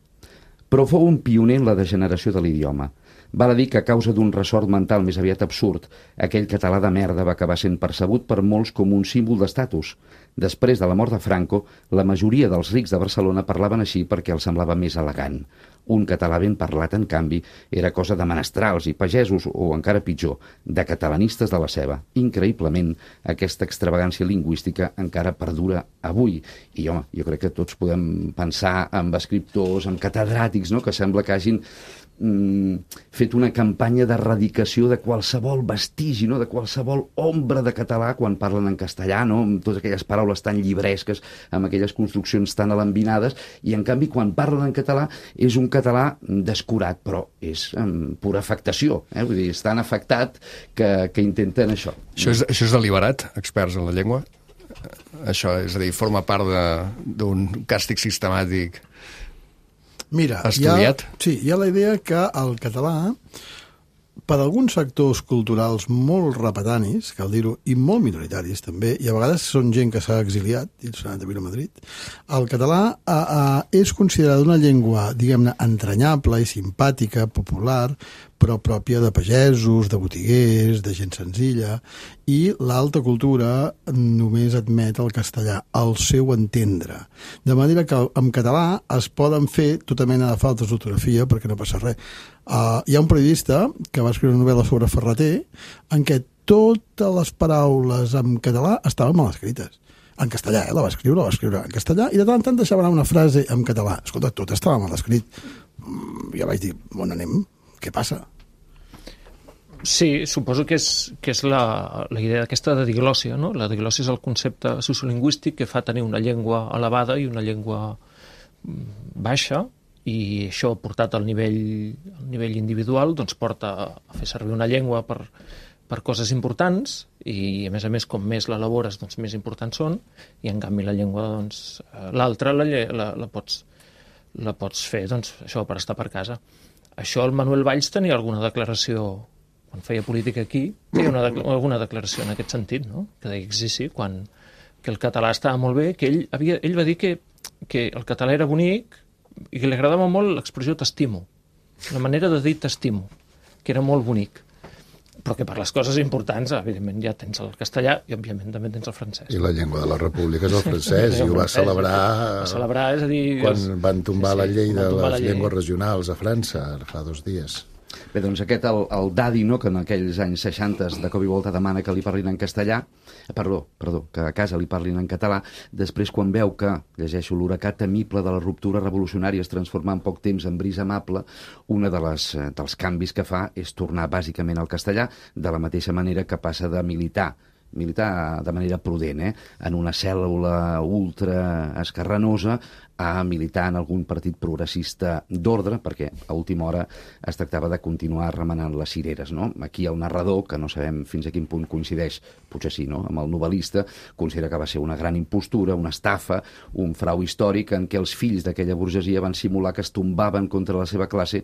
Speaker 10: Però fou un pioner en la degeneració de l'idioma. Val a dir que a causa d'un ressort mental més aviat absurd, aquell català de merda va acabar sent percebut per molts com un símbol d'estatus. Després de la mort de Franco, la majoria dels rics de Barcelona parlaven així perquè els semblava més elegant. Un català ben parlat, en canvi, era cosa de menestrals i pagesos, o encara pitjor, de catalanistes de la seva. Increïblement, aquesta extravagància lingüística encara perdura avui. I, home, jo crec que tots podem pensar en escriptors, en catedràtics, no?, que sembla que hagin fet una campanya d'erradicació de qualsevol vestigi, no?, de qualsevol ombra de català quan parlen en castellà, no?, amb totes aquelles paraules tan llibresques, amb aquelles construccions tan alambinades, i en canvi quan parlen en català és un català descurat, però és amb pura afectació, eh? Vull dir, és tan afectat que, que intenten això.
Speaker 1: Això és, això és deliberat, experts en la llengua? Això, és a dir, forma part d'un càstig sistemàtic.
Speaker 5: Mira, hi ha, sí, hi ha la idea que el català, per alguns sectors culturals molt repetanis, cal dir-ho, i molt minoritaris també, i a vegades són gent que s'ha exiliat, i s'ha anat a viure a Madrid, el català a, a, és considerat una llengua, diguem-ne, entranyable i simpàtica, popular, però pròpia de pagesos, de botiguers, de gent senzilla, i l'alta cultura només admet el castellà, el seu entendre. De manera que en català es poden fer tota mena de faltes d'ortografia perquè no passa res. Uh, hi ha un periodista que va escriure una novel·la sobre Ferreter en què totes les paraules en català estaven mal escrites. En castellà, eh? La va escriure, la va escriure en castellà, i de tant en tant deixava anar una frase en català. Escolta, tot estava mal escrit. Mm, ja vaig dir, on anem? Què passa?
Speaker 4: Sí, suposo que és, que és la, la idea d'aquesta de diglòssia, no? La diglòssia és el concepte sociolingüístic que fa tenir una llengua elevada i una llengua baixa, i això portat al nivell, al nivell individual doncs porta a fer servir una llengua per, per coses importants, i a més a més com més l'elabores doncs més importants són, i en canvi la llengua doncs l'altra la, la, la, pots, la pots fer doncs això per estar per casa. Això el Manuel Valls tenia alguna declaració quan feia política aquí, feia una, alguna declaració en aquest sentit, no? Que deia que sí, sí, quan, que el català estava molt bé, que ell, havia, ell va dir que, que el català era bonic i que li agradava molt l'expressió t'estimo, la manera de dir t'estimo, que era molt bonic. Però que per les coses importants, evidentment, ja tens el castellà i, òbviament, també tens el francès.
Speaker 3: I la llengua de la república és el francès, i ho va celebrar,
Speaker 4: va celebrar és a dir,
Speaker 3: quan
Speaker 4: els...
Speaker 3: van tombar sí, sí, la llei de les
Speaker 4: llei.
Speaker 3: llengües regionals a França, fa dos dies.
Speaker 10: Bé, doncs aquest, el, el Daddy, no?, que en aquells anys seixanta de cop i volta demana que li parlin en castellà, perdó, perdó, que a casa li parlin en català, després quan veu que, llegeixo, l'huracà temible de la ruptura revolucionària es transforma en poc temps en brisa amable, una de les, dels canvis que fa és tornar bàsicament al castellà, de la mateixa manera que passa de militar militar de manera prudent, eh? en una cèl·lula ultra escarranosa, a militar en algun partit progressista d'ordre, perquè a última hora es tractava de continuar remenant les cireres, no? Aquí el narrador, que no sabem fins a quin punt coincideix, potser sí, no?, amb el novel·lista, considera que va ser una gran impostura, una estafa, un frau històric en què els fills d'aquella burgesia van simular que es tombaven contra la seva classe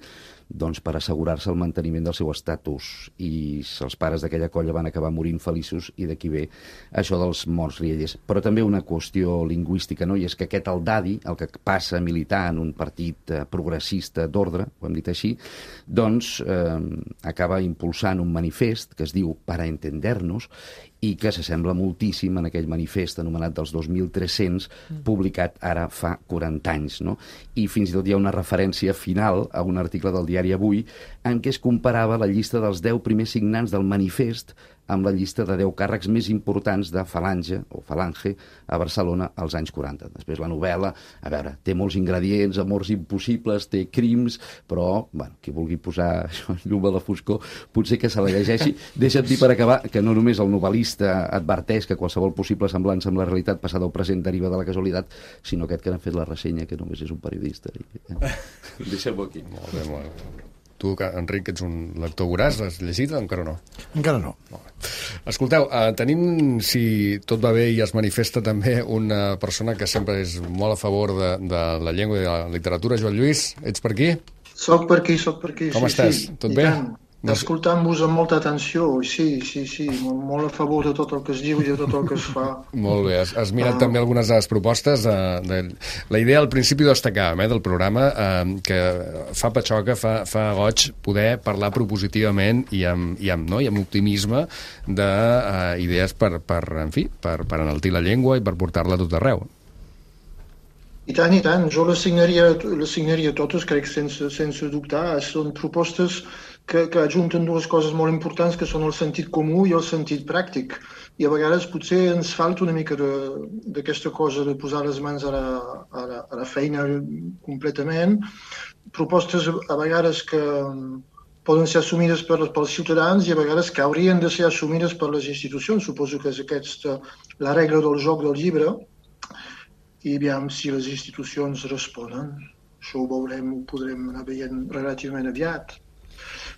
Speaker 10: doncs per assegurar-se el manteniment del seu estatus, i els pares d'aquella colla van acabar morint feliços, i d'aquí ve això dels morts riallers. Però també una qüestió lingüística, no?, i és que aquest el Daddy, el que passa a militar en un partit eh, progressista d'ordre, ho hem dit així, doncs eh, acaba impulsant un manifest que es diu Para entendernos, i que s'assembla moltíssim en aquell manifest anomenat dels dos mil tres-cents, publicat ara fa quaranta anys, no? I fins i tot hi ha una referència final a un article del diari Avui en què es comparava la llista dels deu primers signants del manifest amb la llista de deu càrrecs més importants de Falange, o Falange, a Barcelona als anys quaranta. Després la novel·la, a veure, té molts ingredients, amors impossibles, té crims, però, bueno, qui vulgui posar això, llum a la foscor, potser que se la llegeixi. Deixa't dir per acabar que no només el novel·lista adverteix que qualsevol possible semblança amb la realitat passada o present deriva de la casualitat, sinó aquest que n'ha fet la ressenya, que només és un periodista. Deixem-ho aquí.
Speaker 1: Molt bé, molt bé. Tu, Enric, ets un lector voraç, l'has llegit o encara no?
Speaker 5: Encara no.
Speaker 1: Escolteu, eh, tenim, si tot va bé i es manifesta també, una persona que sempre és molt a favor de, de la llengua i de la literatura. Joan Lluís, ets per aquí?
Speaker 11: Soc per aquí, soc per aquí.
Speaker 1: Com
Speaker 11: sí,
Speaker 1: estàs?
Speaker 11: Sí,
Speaker 1: Tot bé?
Speaker 11: Tant. Escoltant-vos amb molta atenció, sí, sí, sí, molt a favor de tot el que es diu i de tot el que es fa.
Speaker 1: Molt bé, has, has mirat uh... també algunes de les propostes. De, de... La idea al principi destacàvem eh, del programa, eh, que fa patxoca, fa, fa goig poder parlar propositivament i amb, i amb, no? I amb optimisme d'idees uh, per, per, en fi, per, per enaltir la llengua i per portar-la a tot arreu.
Speaker 11: I tant, i tant. Jo les signaria, les signaria totes, crec, sense, sense dubtar. Són propostes que, que ajunten dues coses molt importants, que són el sentit comú i el sentit pràctic. I a vegades potser ens falta una mica d'aquesta cosa de posar les mans a la, a la, a la feina completament. Propostes a vegades que poden ser assumides per, pels ciutadans i a vegades que haurien de ser assumides per les institucions. Suposo que és aquesta la regla del joc del llibre. I aviam si les institucions responen. Això ho veurem, ho podrem anar veient relativament aviat.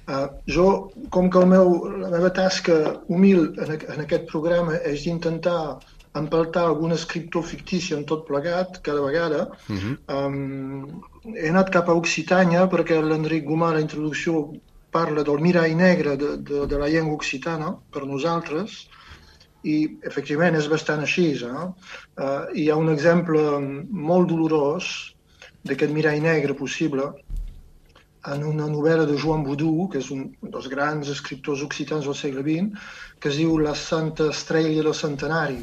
Speaker 11: Uh, jo, com que el meu, la meva tasca humil en, en aquest programa és d'intentar empaltar algun escriptor fictici en tot plegat, cada vegada, uh-huh. um, he anat cap a Occitània perquè l'Enric Gomà, a la introducció, parla del mirall negre de, de, de la llengua occitana per nosaltres, i efectivament és bastant així. Eh? Uh, hi ha un exemple molt dolorós d'aquest mirall negre possible en una novel·la de Joan Boudou, que és un dels grans escriptors occitans del segle vint, que es diu La Santa Estrella del Centenari.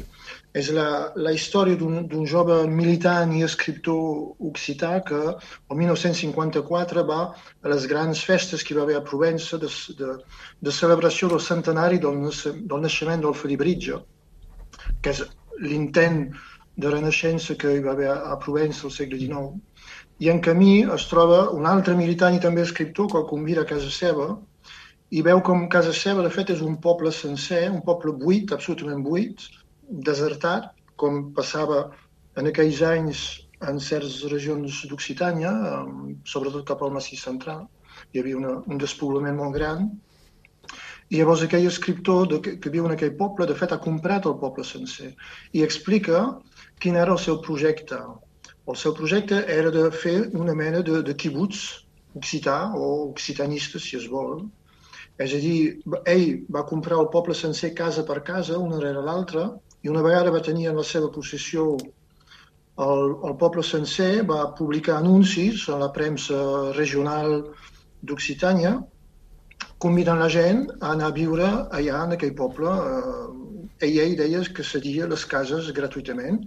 Speaker 11: És la, la història d'un jove militant i escriptor occità que el mil nou-cents cinquanta-quatre va a les grans festes que hi va haver a Provença de, de, de celebració del centenari del, del naixement del Felibritge, que és l'intent de renaixença que hi va haver a Provença al segle dinou. I en camí es troba un altre militant i també escriptor que el convida a casa seva i veu com casa seva, de fet, és un poble sencer, un poble buit, absolutament buit, desertat, com passava en aquells anys en certes regions d'Occitània, sobretot cap al Massís Central. Hi havia una, un despoblament molt gran. I llavors aquell escriptor de, que, que viu en aquell poble, de fet, ha comprat el poble sencer i explica quin era el seu projecte. El seu projecte era de fer una mena de, de quibuts occità o occitanista, si es vol. És a dir, ell va comprar el poble sencer casa per casa, una rere l'altra, I una vegada va tenir en la seva possessió el, el poble sencer, va publicar anuncis a la premsa regional d'Occitània, convidant la gent a anar a viure allà en aquell poble. Ella hi deia que cedia les cases gratuïtament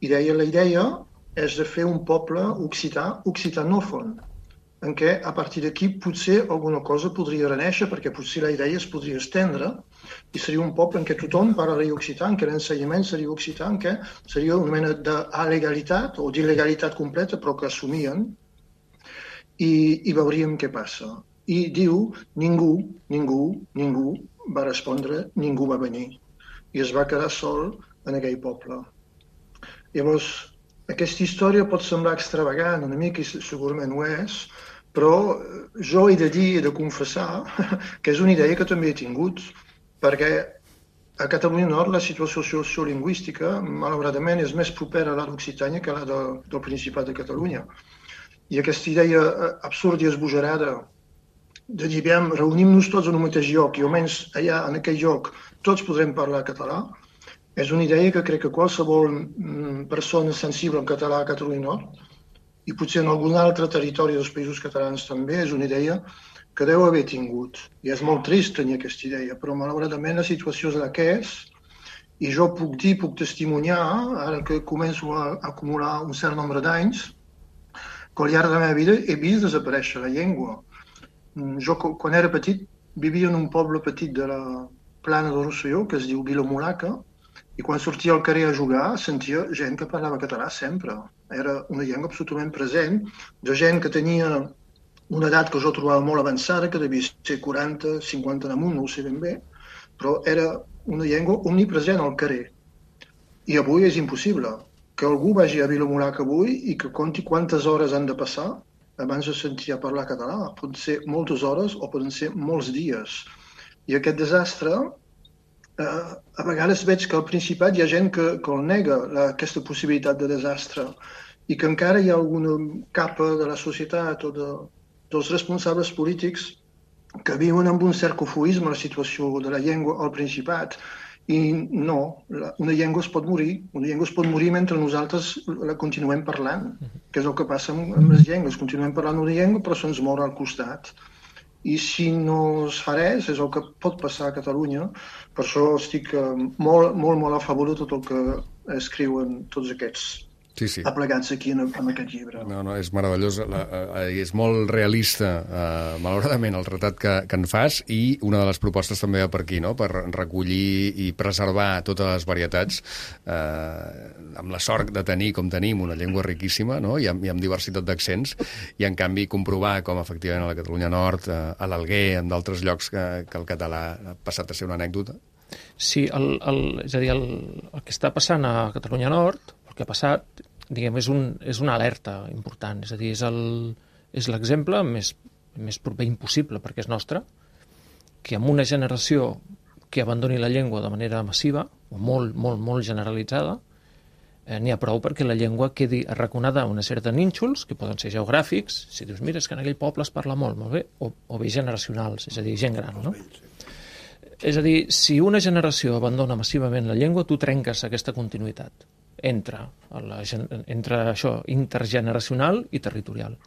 Speaker 11: i deia la idea és de fer un poble occità, occitanòfon, en què a partir d'aquí potser alguna cosa podria reneixer, perquè potser la idea es podria estendre i seria un poble en què tothom parlaria occità, en què l'ensenyament seria occità, en què seria una mena d'alegalitat o d'il·legalitat completa, però que assumien, i, i veuríem què passa. I diu, ningú, ningú, ningú va respondre, ningú va venir. I es va quedar sol en aquell poble. Llavors, aquesta història pot semblar extravagant, una mica, i segurament ho és, però jo he de dir, he de confessar, que és una idea que també he tingut, perquè a Catalunya Nord la situació sociolingüística, malauradament, és més propera a la d'Occitània que a la de, del Principat de Catalunya. I aquesta idea absurda i esbojarada de dir, reunim-nos tots en un mateix lloc i almenys allà, en aquell lloc, tots podrem parlar català, és una idea que crec que qualsevol persona sensible en català a Catalunya Nord, i potser en algun altre territori dels països catalans també, és una idea que deu haver tingut. I és molt trist tenir aquesta idea, però malauradament la situació és la que és, i jo puc dir, puc testimoniar, ara que començo a acumular un cert nombre d'anys, que al llarg de la meva vida he vist desaparèixer la llengua. Jo, quan era petit, vivia en un poble petit de la Plana del Rosselló, que es diu Vilamulaca, i quan sortia al carrer a jugar sentia gent que parlava català sempre. Era una llengua absolutament present, de gent que tenia una edat que jo trobava molt avançada, que devia ser quaranta, cinquanta damunt, no ho sé ben bé, però era una llengua omnipresent al carrer. I avui és impossible que algú vagi a Vilamulaca avui i que conti quantes hores han de passar abans de sentir a parlar català. Poden ser moltes hores o poden ser molts dies. I aquest desastre, eh, a vegades veig que al Principat hi ha gent que, que el nega, la, aquesta possibilitat de desastre, i que encara hi ha alguna capa de la societat o de, dels responsables polítics que viuen amb un cert cofoisme la situació de la llengua al Principat. I no, la, una llengua es pot morir, una llengua es pot morir mentre nosaltres la continuem parlant, que és el que passa amb, amb les llengües. Continuem parlant una llengua però se'ns mor al costat. I si no es fa res, és el que pot passar a Catalunya. Per això estic molt, molt, molt a favor de tot el que escriuen tots aquests
Speaker 1: sí, sí.
Speaker 11: aplegats aquí en, en aquest llibre.
Speaker 1: No, no, és meravellós, la, eh, és molt realista, eh, malauradament, el retrat que, que en fas, i una de les propostes també va per aquí, no?, per recollir i preservar totes les varietats, eh, amb la sort de tenir, com tenim, una llengua riquíssima, no?, i amb, i amb diversitat d'accents, i en canvi comprovar com efectivament a la Catalunya Nord, eh, a l'Alguer, en d'altres llocs que, que el català ha passat a ser una anècdota.
Speaker 4: Sí, el, el, és a dir, el, el que està passant a Catalunya Nord, el que ha passat, diguem, és, un, és una alerta important, és a dir, és, el, és l'exemple més, més proper impossible, perquè és nostre, que amb una generació que abandoni la llengua de manera massiva, o molt, molt, molt generalitzada, eh, n'hi ha prou perquè la llengua quedi arraconada a una sèrie de nínxols, que poden ser geogràfics, si dius, mira, és que en aquell poble es parla molt, molt bé, o, o bé generacionals, és a dir, gent gran, no? És a dir, si una generació abandona massivament la llengua, tu trenques aquesta continuïtat entre, la, entre això intergeneracional i territorial.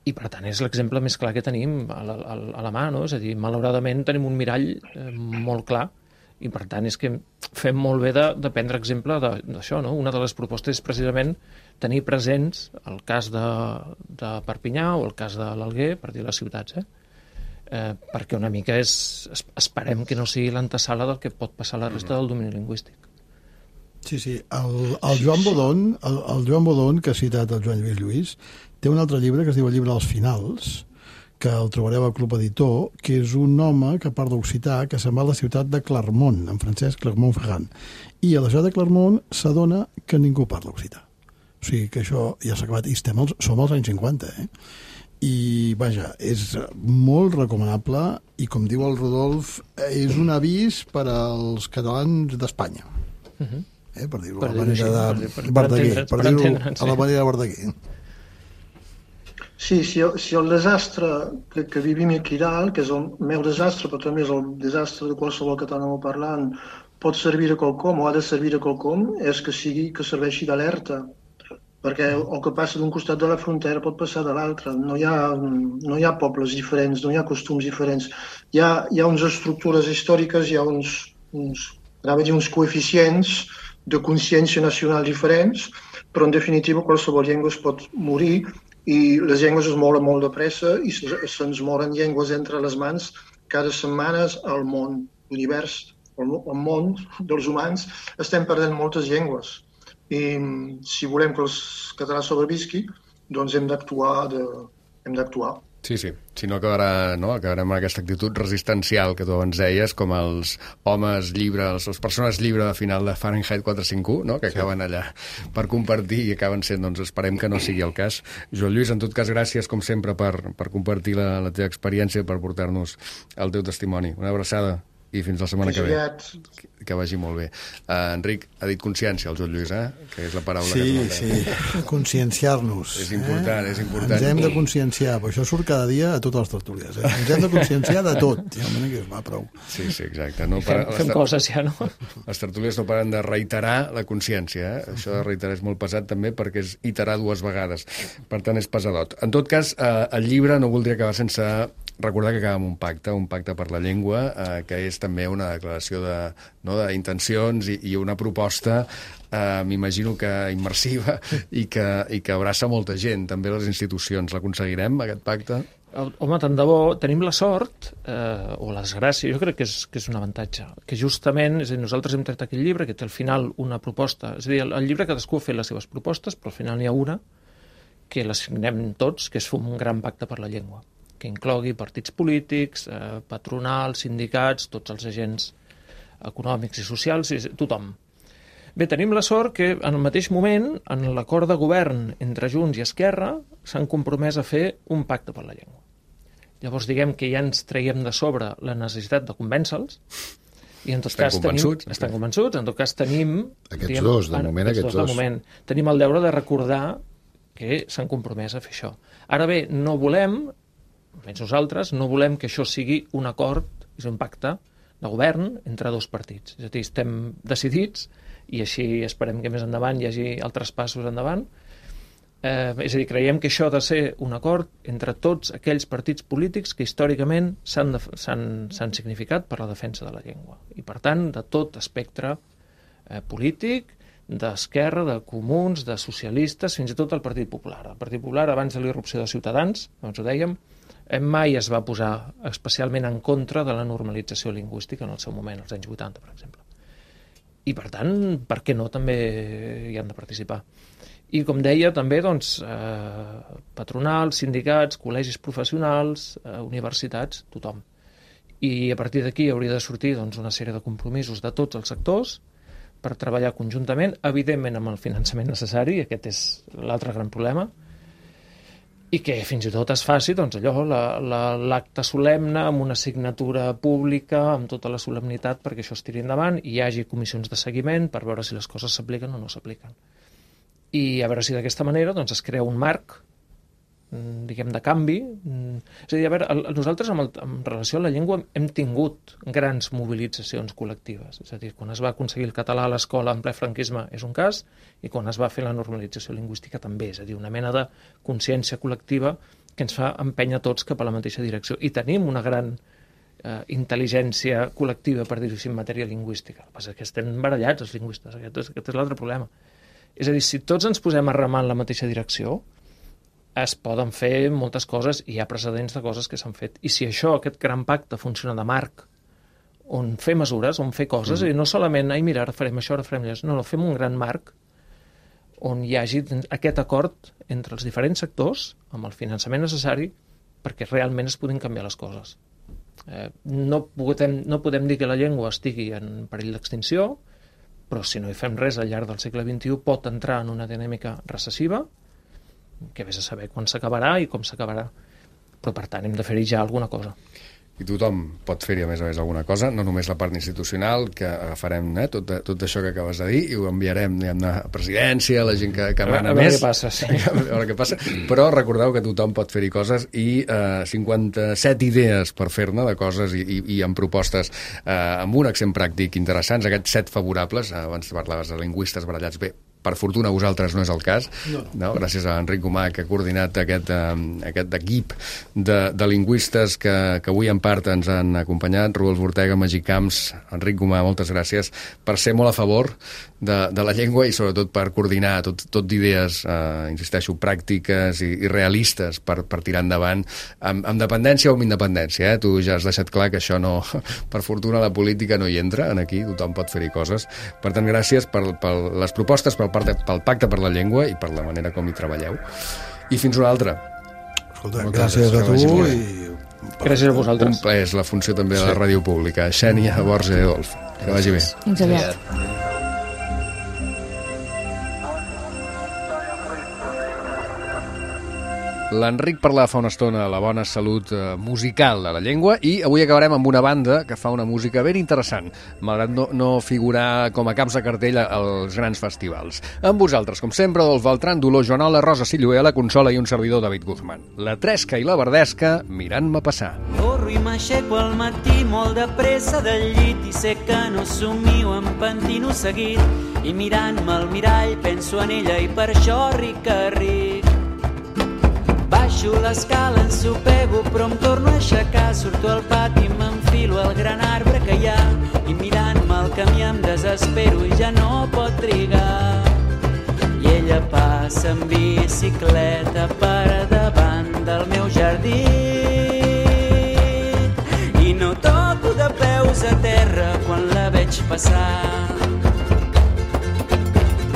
Speaker 4: I, per tant, és l'exemple més clar que tenim a la, a la mà, no? És a dir, malauradament tenim un mirall eh, molt clar i, per tant, és que fem molt bé de, de prendre exemple d'això, no? Una de les propostes és precisament tenir presents el cas de, de Perpinyà o el cas de l'Alguer, per dir les ciutats, eh? Eh, perquè una mica és, esperem que no sigui l'antesala del que pot passar a la resta del domini lingüístic.
Speaker 5: Sí, sí. El, el Joan Bodón, el, el Joan Bodón, que ha citat el Joan Lluís Lluís, té un altre llibre que es diu el llibre dels finals, que el trobareu al Club Editor, que és un home que parla occità, que se'n va a la ciutat de Clermont, en francès Clermont-Ferrand. I a la ciutat de Clermont s'adona que ningú parla occità. O sigui que això ja s'ha acabat. I estem als, som als anys cinquanta, eh? I, vaja, és molt recomanable i, com diu el Rodolf, és un avís per als catalans d'Espanya. Uh-huh. Eh, per dir-ho a la manera de Verdaguer, per dir-ho a la manera de Verdaguer.
Speaker 11: Sí, si el, si el desastre que, que vivim aquí dalt, que és el meu desastre, però també és el desastre de qualsevol català parlant, pot servir a qualcom o ha de servir a qualcom, és que sigui que serveixi d'alerta. Perquè el que passa d'un costat de la frontera pot passar de l'altre. No hi ha, no hi ha pobles diferents, no hi ha costums diferents. Hi ha, hi ha unes estructures històriques, hi ha uns, uns, dir, uns coeficients de consciència nacional diferents, però en definitiva qualsevol llengua es pot morir i les llengües es mouen molt de pressa i se'ns moren llengües entre les mans cada setmana al món, l'univers, el món dels humans, estem perdent moltes llengües. I si volem que els catalans sobrevisqui, doncs hem d'actuar, de, hem d'actuar.
Speaker 1: Sí, sí, si no acabarà, no? acabarem amb aquesta actitud resistencial que tu abans deies, com els homes llibre, les, les persones llibre de final de Fahrenheit quatre cinc u, no? que acaben allà per compartir i acaben sent, doncs esperem que no sigui el cas. Joan Lluís, en tot cas, gràcies com sempre per, per compartir la, la teva experiència, per portar-nos el teu testimoni. Una abraçada i fins la setmana que ve. Que, que vagi molt bé. Uh, Enric, ha dit consciència, el Joan Lluís, eh? que és la paraula
Speaker 5: sí,
Speaker 1: que
Speaker 5: sí, sí, conscienciar-nos.
Speaker 1: És important, eh? és important.
Speaker 5: Ens hem de conscienciar, però això surt cada dia a totes les tertúlies. Eh? Ens hem de conscienciar de tot. Ja m'he que es va prou.
Speaker 1: Sí, sí, exacte. No
Speaker 4: fem
Speaker 1: para...
Speaker 4: fem coses ja, no?
Speaker 1: Les tertúlies no paren de reiterar la consciència. Eh? Això de reiterar és molt pesat també perquè és iterar dues vegades. Per tant, és pesadot. En tot cas, eh, el llibre no voldria acabar sense recordar que acaba amb un pacte, un pacte per la llengua, eh, que és també una declaració de, no, d'intencions i, i una proposta, eh, m'imagino que immersiva i que, i que abraça molta gent, també les institucions. L'aconseguirem, aquest pacte?
Speaker 4: Home, tant de bo, tenim la sort, eh, o la desgràcia, jo crec que és, que és un avantatge, que justament, és a dir, nosaltres hem tret aquell llibre que té al final una proposta, és a dir, el, el llibre cadascú ha fet les seves propostes, però al final n'hi ha una que la signem tots, que és un gran pacte per la llengua, que inclogui partits polítics, eh, patronals, sindicats, tots els agents econòmics i socials, i tothom. Bé, tenim la sort que en el mateix moment, en l'acord de govern entre Junts i Esquerra, s'han compromès a fer un pacte per la llengua. Llavors, diguem que ja ens traiem de sobre la necessitat de convèncer-los, i en tot
Speaker 1: estan
Speaker 4: cas
Speaker 1: convençuts,
Speaker 4: tenim... Estan convençuts, en tot cas tenim...
Speaker 3: Aquests diguem, dos, de moment, aquests dos.
Speaker 4: De moment. Tenim el deure de recordar que s'han compromès a fer això. Ara bé, no volem, almenys nosaltres, no volem que això sigui un acord, és un pacte de govern entre dos partits. És a dir, estem decidits, i així esperem que més endavant hi hagi altres passos endavant. Eh, és a dir, creiem que això ha de ser un acord entre tots aquells partits polítics que històricament s'han, de, s'han, s'han significat per la defensa de la llengua. I, per tant, de tot espectre eh, polític, d'Esquerra, de Comuns, de socialistes, fins i tot el Partit Popular. El Partit Popular, abans de l'irrupció de Ciutadans, doncs ho dèiem, mai es va posar especialment en contra de la normalització lingüística en el seu moment, als anys vuitanta, per exemple. I, per tant, per què no també hi han de participar? I, com deia, també, doncs, eh, patronals, sindicats, col·legis professionals, eh, universitats, tothom. I a partir d'aquí hauria de sortir doncs, una sèrie de compromisos de tots els sectors per treballar conjuntament, evidentment amb el finançament necessari, aquest és l'altre gran problema, i que fins i tot es faci doncs, allò, la, la, l'acte solemne amb una signatura pública, amb tota la solemnitat perquè això es tiri endavant i hi hagi comissions de seguiment per veure si les coses s'apliquen o no s'apliquen. I a veure si d'aquesta manera doncs, es crea un marc diguem, de canvi. És a dir, a veure, el, nosaltres amb, el, amb relació a la llengua hem tingut grans mobilitzacions col·lectives. És a dir, quan es va aconseguir el català a l'escola en ple franquisme és un cas, i quan es va fer la normalització lingüística també. És a dir, una mena de consciència col·lectiva que ens fa empènyer tots cap a la mateixa direcció. I tenim una gran eh, intel·ligència col·lectiva, per dir-ho així, en matèria lingüística. El que passa és que estem barallats, els lingüistes. Aquest és, aquest és l'altre problema. És a dir, si tots ens posem a remar en la mateixa direcció, es poden fer moltes coses i hi ha precedents de coses que s'han fet. I si això, aquest gran pacte, funciona de marc, on fer mesures, on fer coses, mm. i no solament, ai, mira, ara farem això, ara farem allò, no, no, fem un gran marc on hi hagi aquest acord entre els diferents sectors, amb el finançament necessari, perquè realment es puguin canviar les coses. Eh, no, podem, no podem dir que la llengua estigui en perill d'extinció, però si no hi fem res al llarg del segle vint-i-u pot entrar en una dinàmica recessiva, que vés a saber quan s'acabarà i com s'acabarà. Però, per tant, hem de fer-hi ja alguna cosa.
Speaker 1: i tothom pot fer-hi a més a més alguna cosa, no només la part institucional, que agafarem eh, tot, tot això que acabes de dir i ho enviarem diguem-ne, a presidència, a la gent que, que mana
Speaker 4: més.
Speaker 1: més.
Speaker 4: A veure què passa, sí.
Speaker 1: A veure què passa. Però recordeu que tothom pot fer-hi coses i eh, cinquanta-set idees per fer-ne de coses i, i, i amb propostes eh, amb un accent pràctic interessants, aquests set favorables, eh, abans parlaves de lingüistes barallats bé, per fortuna vosaltres no és el cas, no. No? Gràcies a Enric Gomà, que ha coordinat aquest, um, aquest equip de, de lingüistes que, que avui en part ens han acompanyat, Rodolf Ortega, Magí Camps, Enric Gomà, moltes gràcies per ser molt a favor de, de la llengua i sobretot per coordinar tot, tot d'idees, eh, insisteixo, pràctiques i, i realistes per, per tirar endavant amb, amb dependència o amb independència. Eh? Tu ja has deixat clar que això no, per fortuna la política no hi entra, en aquí tothom pot fer-hi coses. Per tant, gràcies per, per les propostes, per pel Pacte per la Llengua i per la manera com hi treballeu. I fins una altra.
Speaker 5: Escolta, gràcies a tu i...
Speaker 4: Gràcies a vosaltres.
Speaker 1: Un plaer, és la funció també de la ràdio pública. Xènia, Borja i Adolf. Que vagi bé.
Speaker 8: Fins aviat.
Speaker 1: L'Enric parlava fa una estona de la bona salut eh, musical de la llengua i avui acabarem amb una banda que fa una música ben interessant, malgrat no, no figurar com a caps de cartell als grans festivals. Amb vosaltres, com sempre, Adolf Beltran, Dolor Joanola, Rosa Sillué, la consola i un servidor, David Guzmán. La Tresca i la Verdesca mirant-me passar.
Speaker 12: Corro i m'aixeco al matí molt de pressa del llit i sé que no somio, em pentino seguit i mirant-me al mirall penso en ella i per això ric que ric. Baixo l'escala, ensopego, però em torno a aixecar. Surto al pati, m'enfilo al gran arbre que hi ha i mirant-me al camí em desespero i ja no pot trigar. I ella passa en bicicleta per davant del meu jardí i no toco de peus a terra quan la veig passar.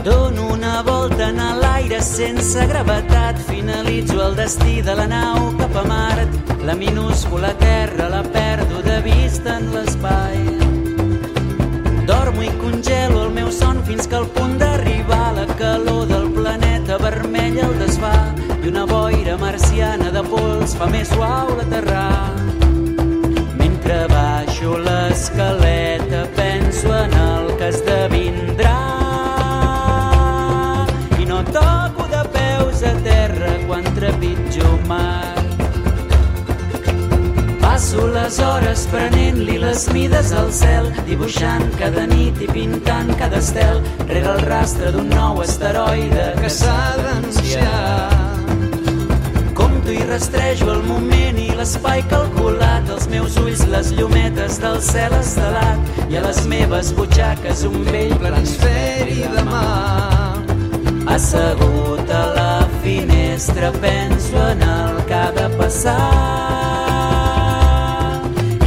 Speaker 12: Dono una volta en l'aire sense gravetat, finalitzo el destí de la nau cap a Mart. La minúscula terra la perdo de vista en l'espai. Dormo i congelo el meu son fins que al punt d'arribar la calor del planeta vermell el desfà i una boira marciana de pols fa més suau l'aterrar. Mentre baixo l'escaleta penso en el que esdevindrà. Toco de peus a terra quan trepitjo mar. Passo les hores prenent-li les mides al cel, dibuixant cada nit i pintant cada estel, rere el rastre d'un nou asteroide que s'ha d'anunciar. Compto i rastrejo el moment i l'espai calculat, als meus ulls les llumetes del cel estelat i a les meves butxaques un vell planisferi de mar. Assegut a la finestra penso en el que ha de passar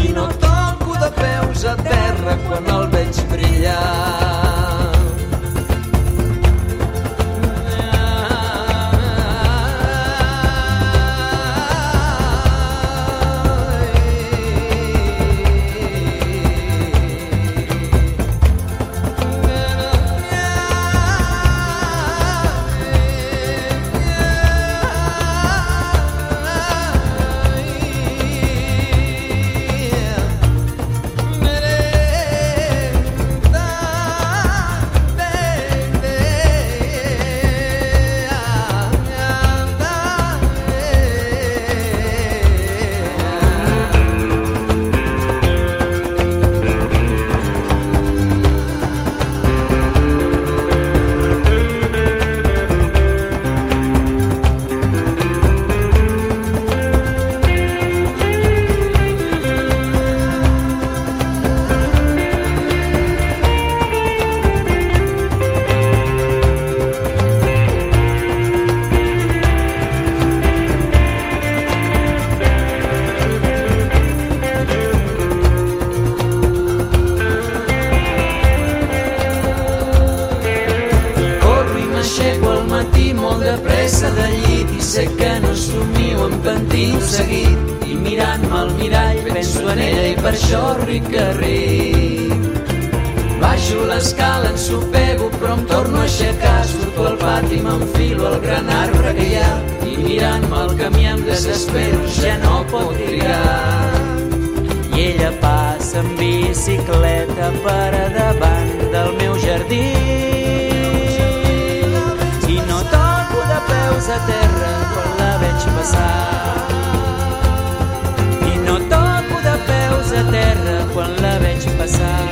Speaker 12: i no toco de peus a terra quan el veig brillar. Seguit i mirant-me al mirall penso en ella i per això ric que ric. Baixo l'escala, ensopego, però em torno a aixecar. Surto al pati, m'enfilo al gran arbre que hi ha i mirant-me al camí em desespero, ja no pot trigar. ella passa en bicicleta per a davant del meu jardí. I no toco de peus a terra quan la veig passar. I no toco de peus a terra quan la veig passar.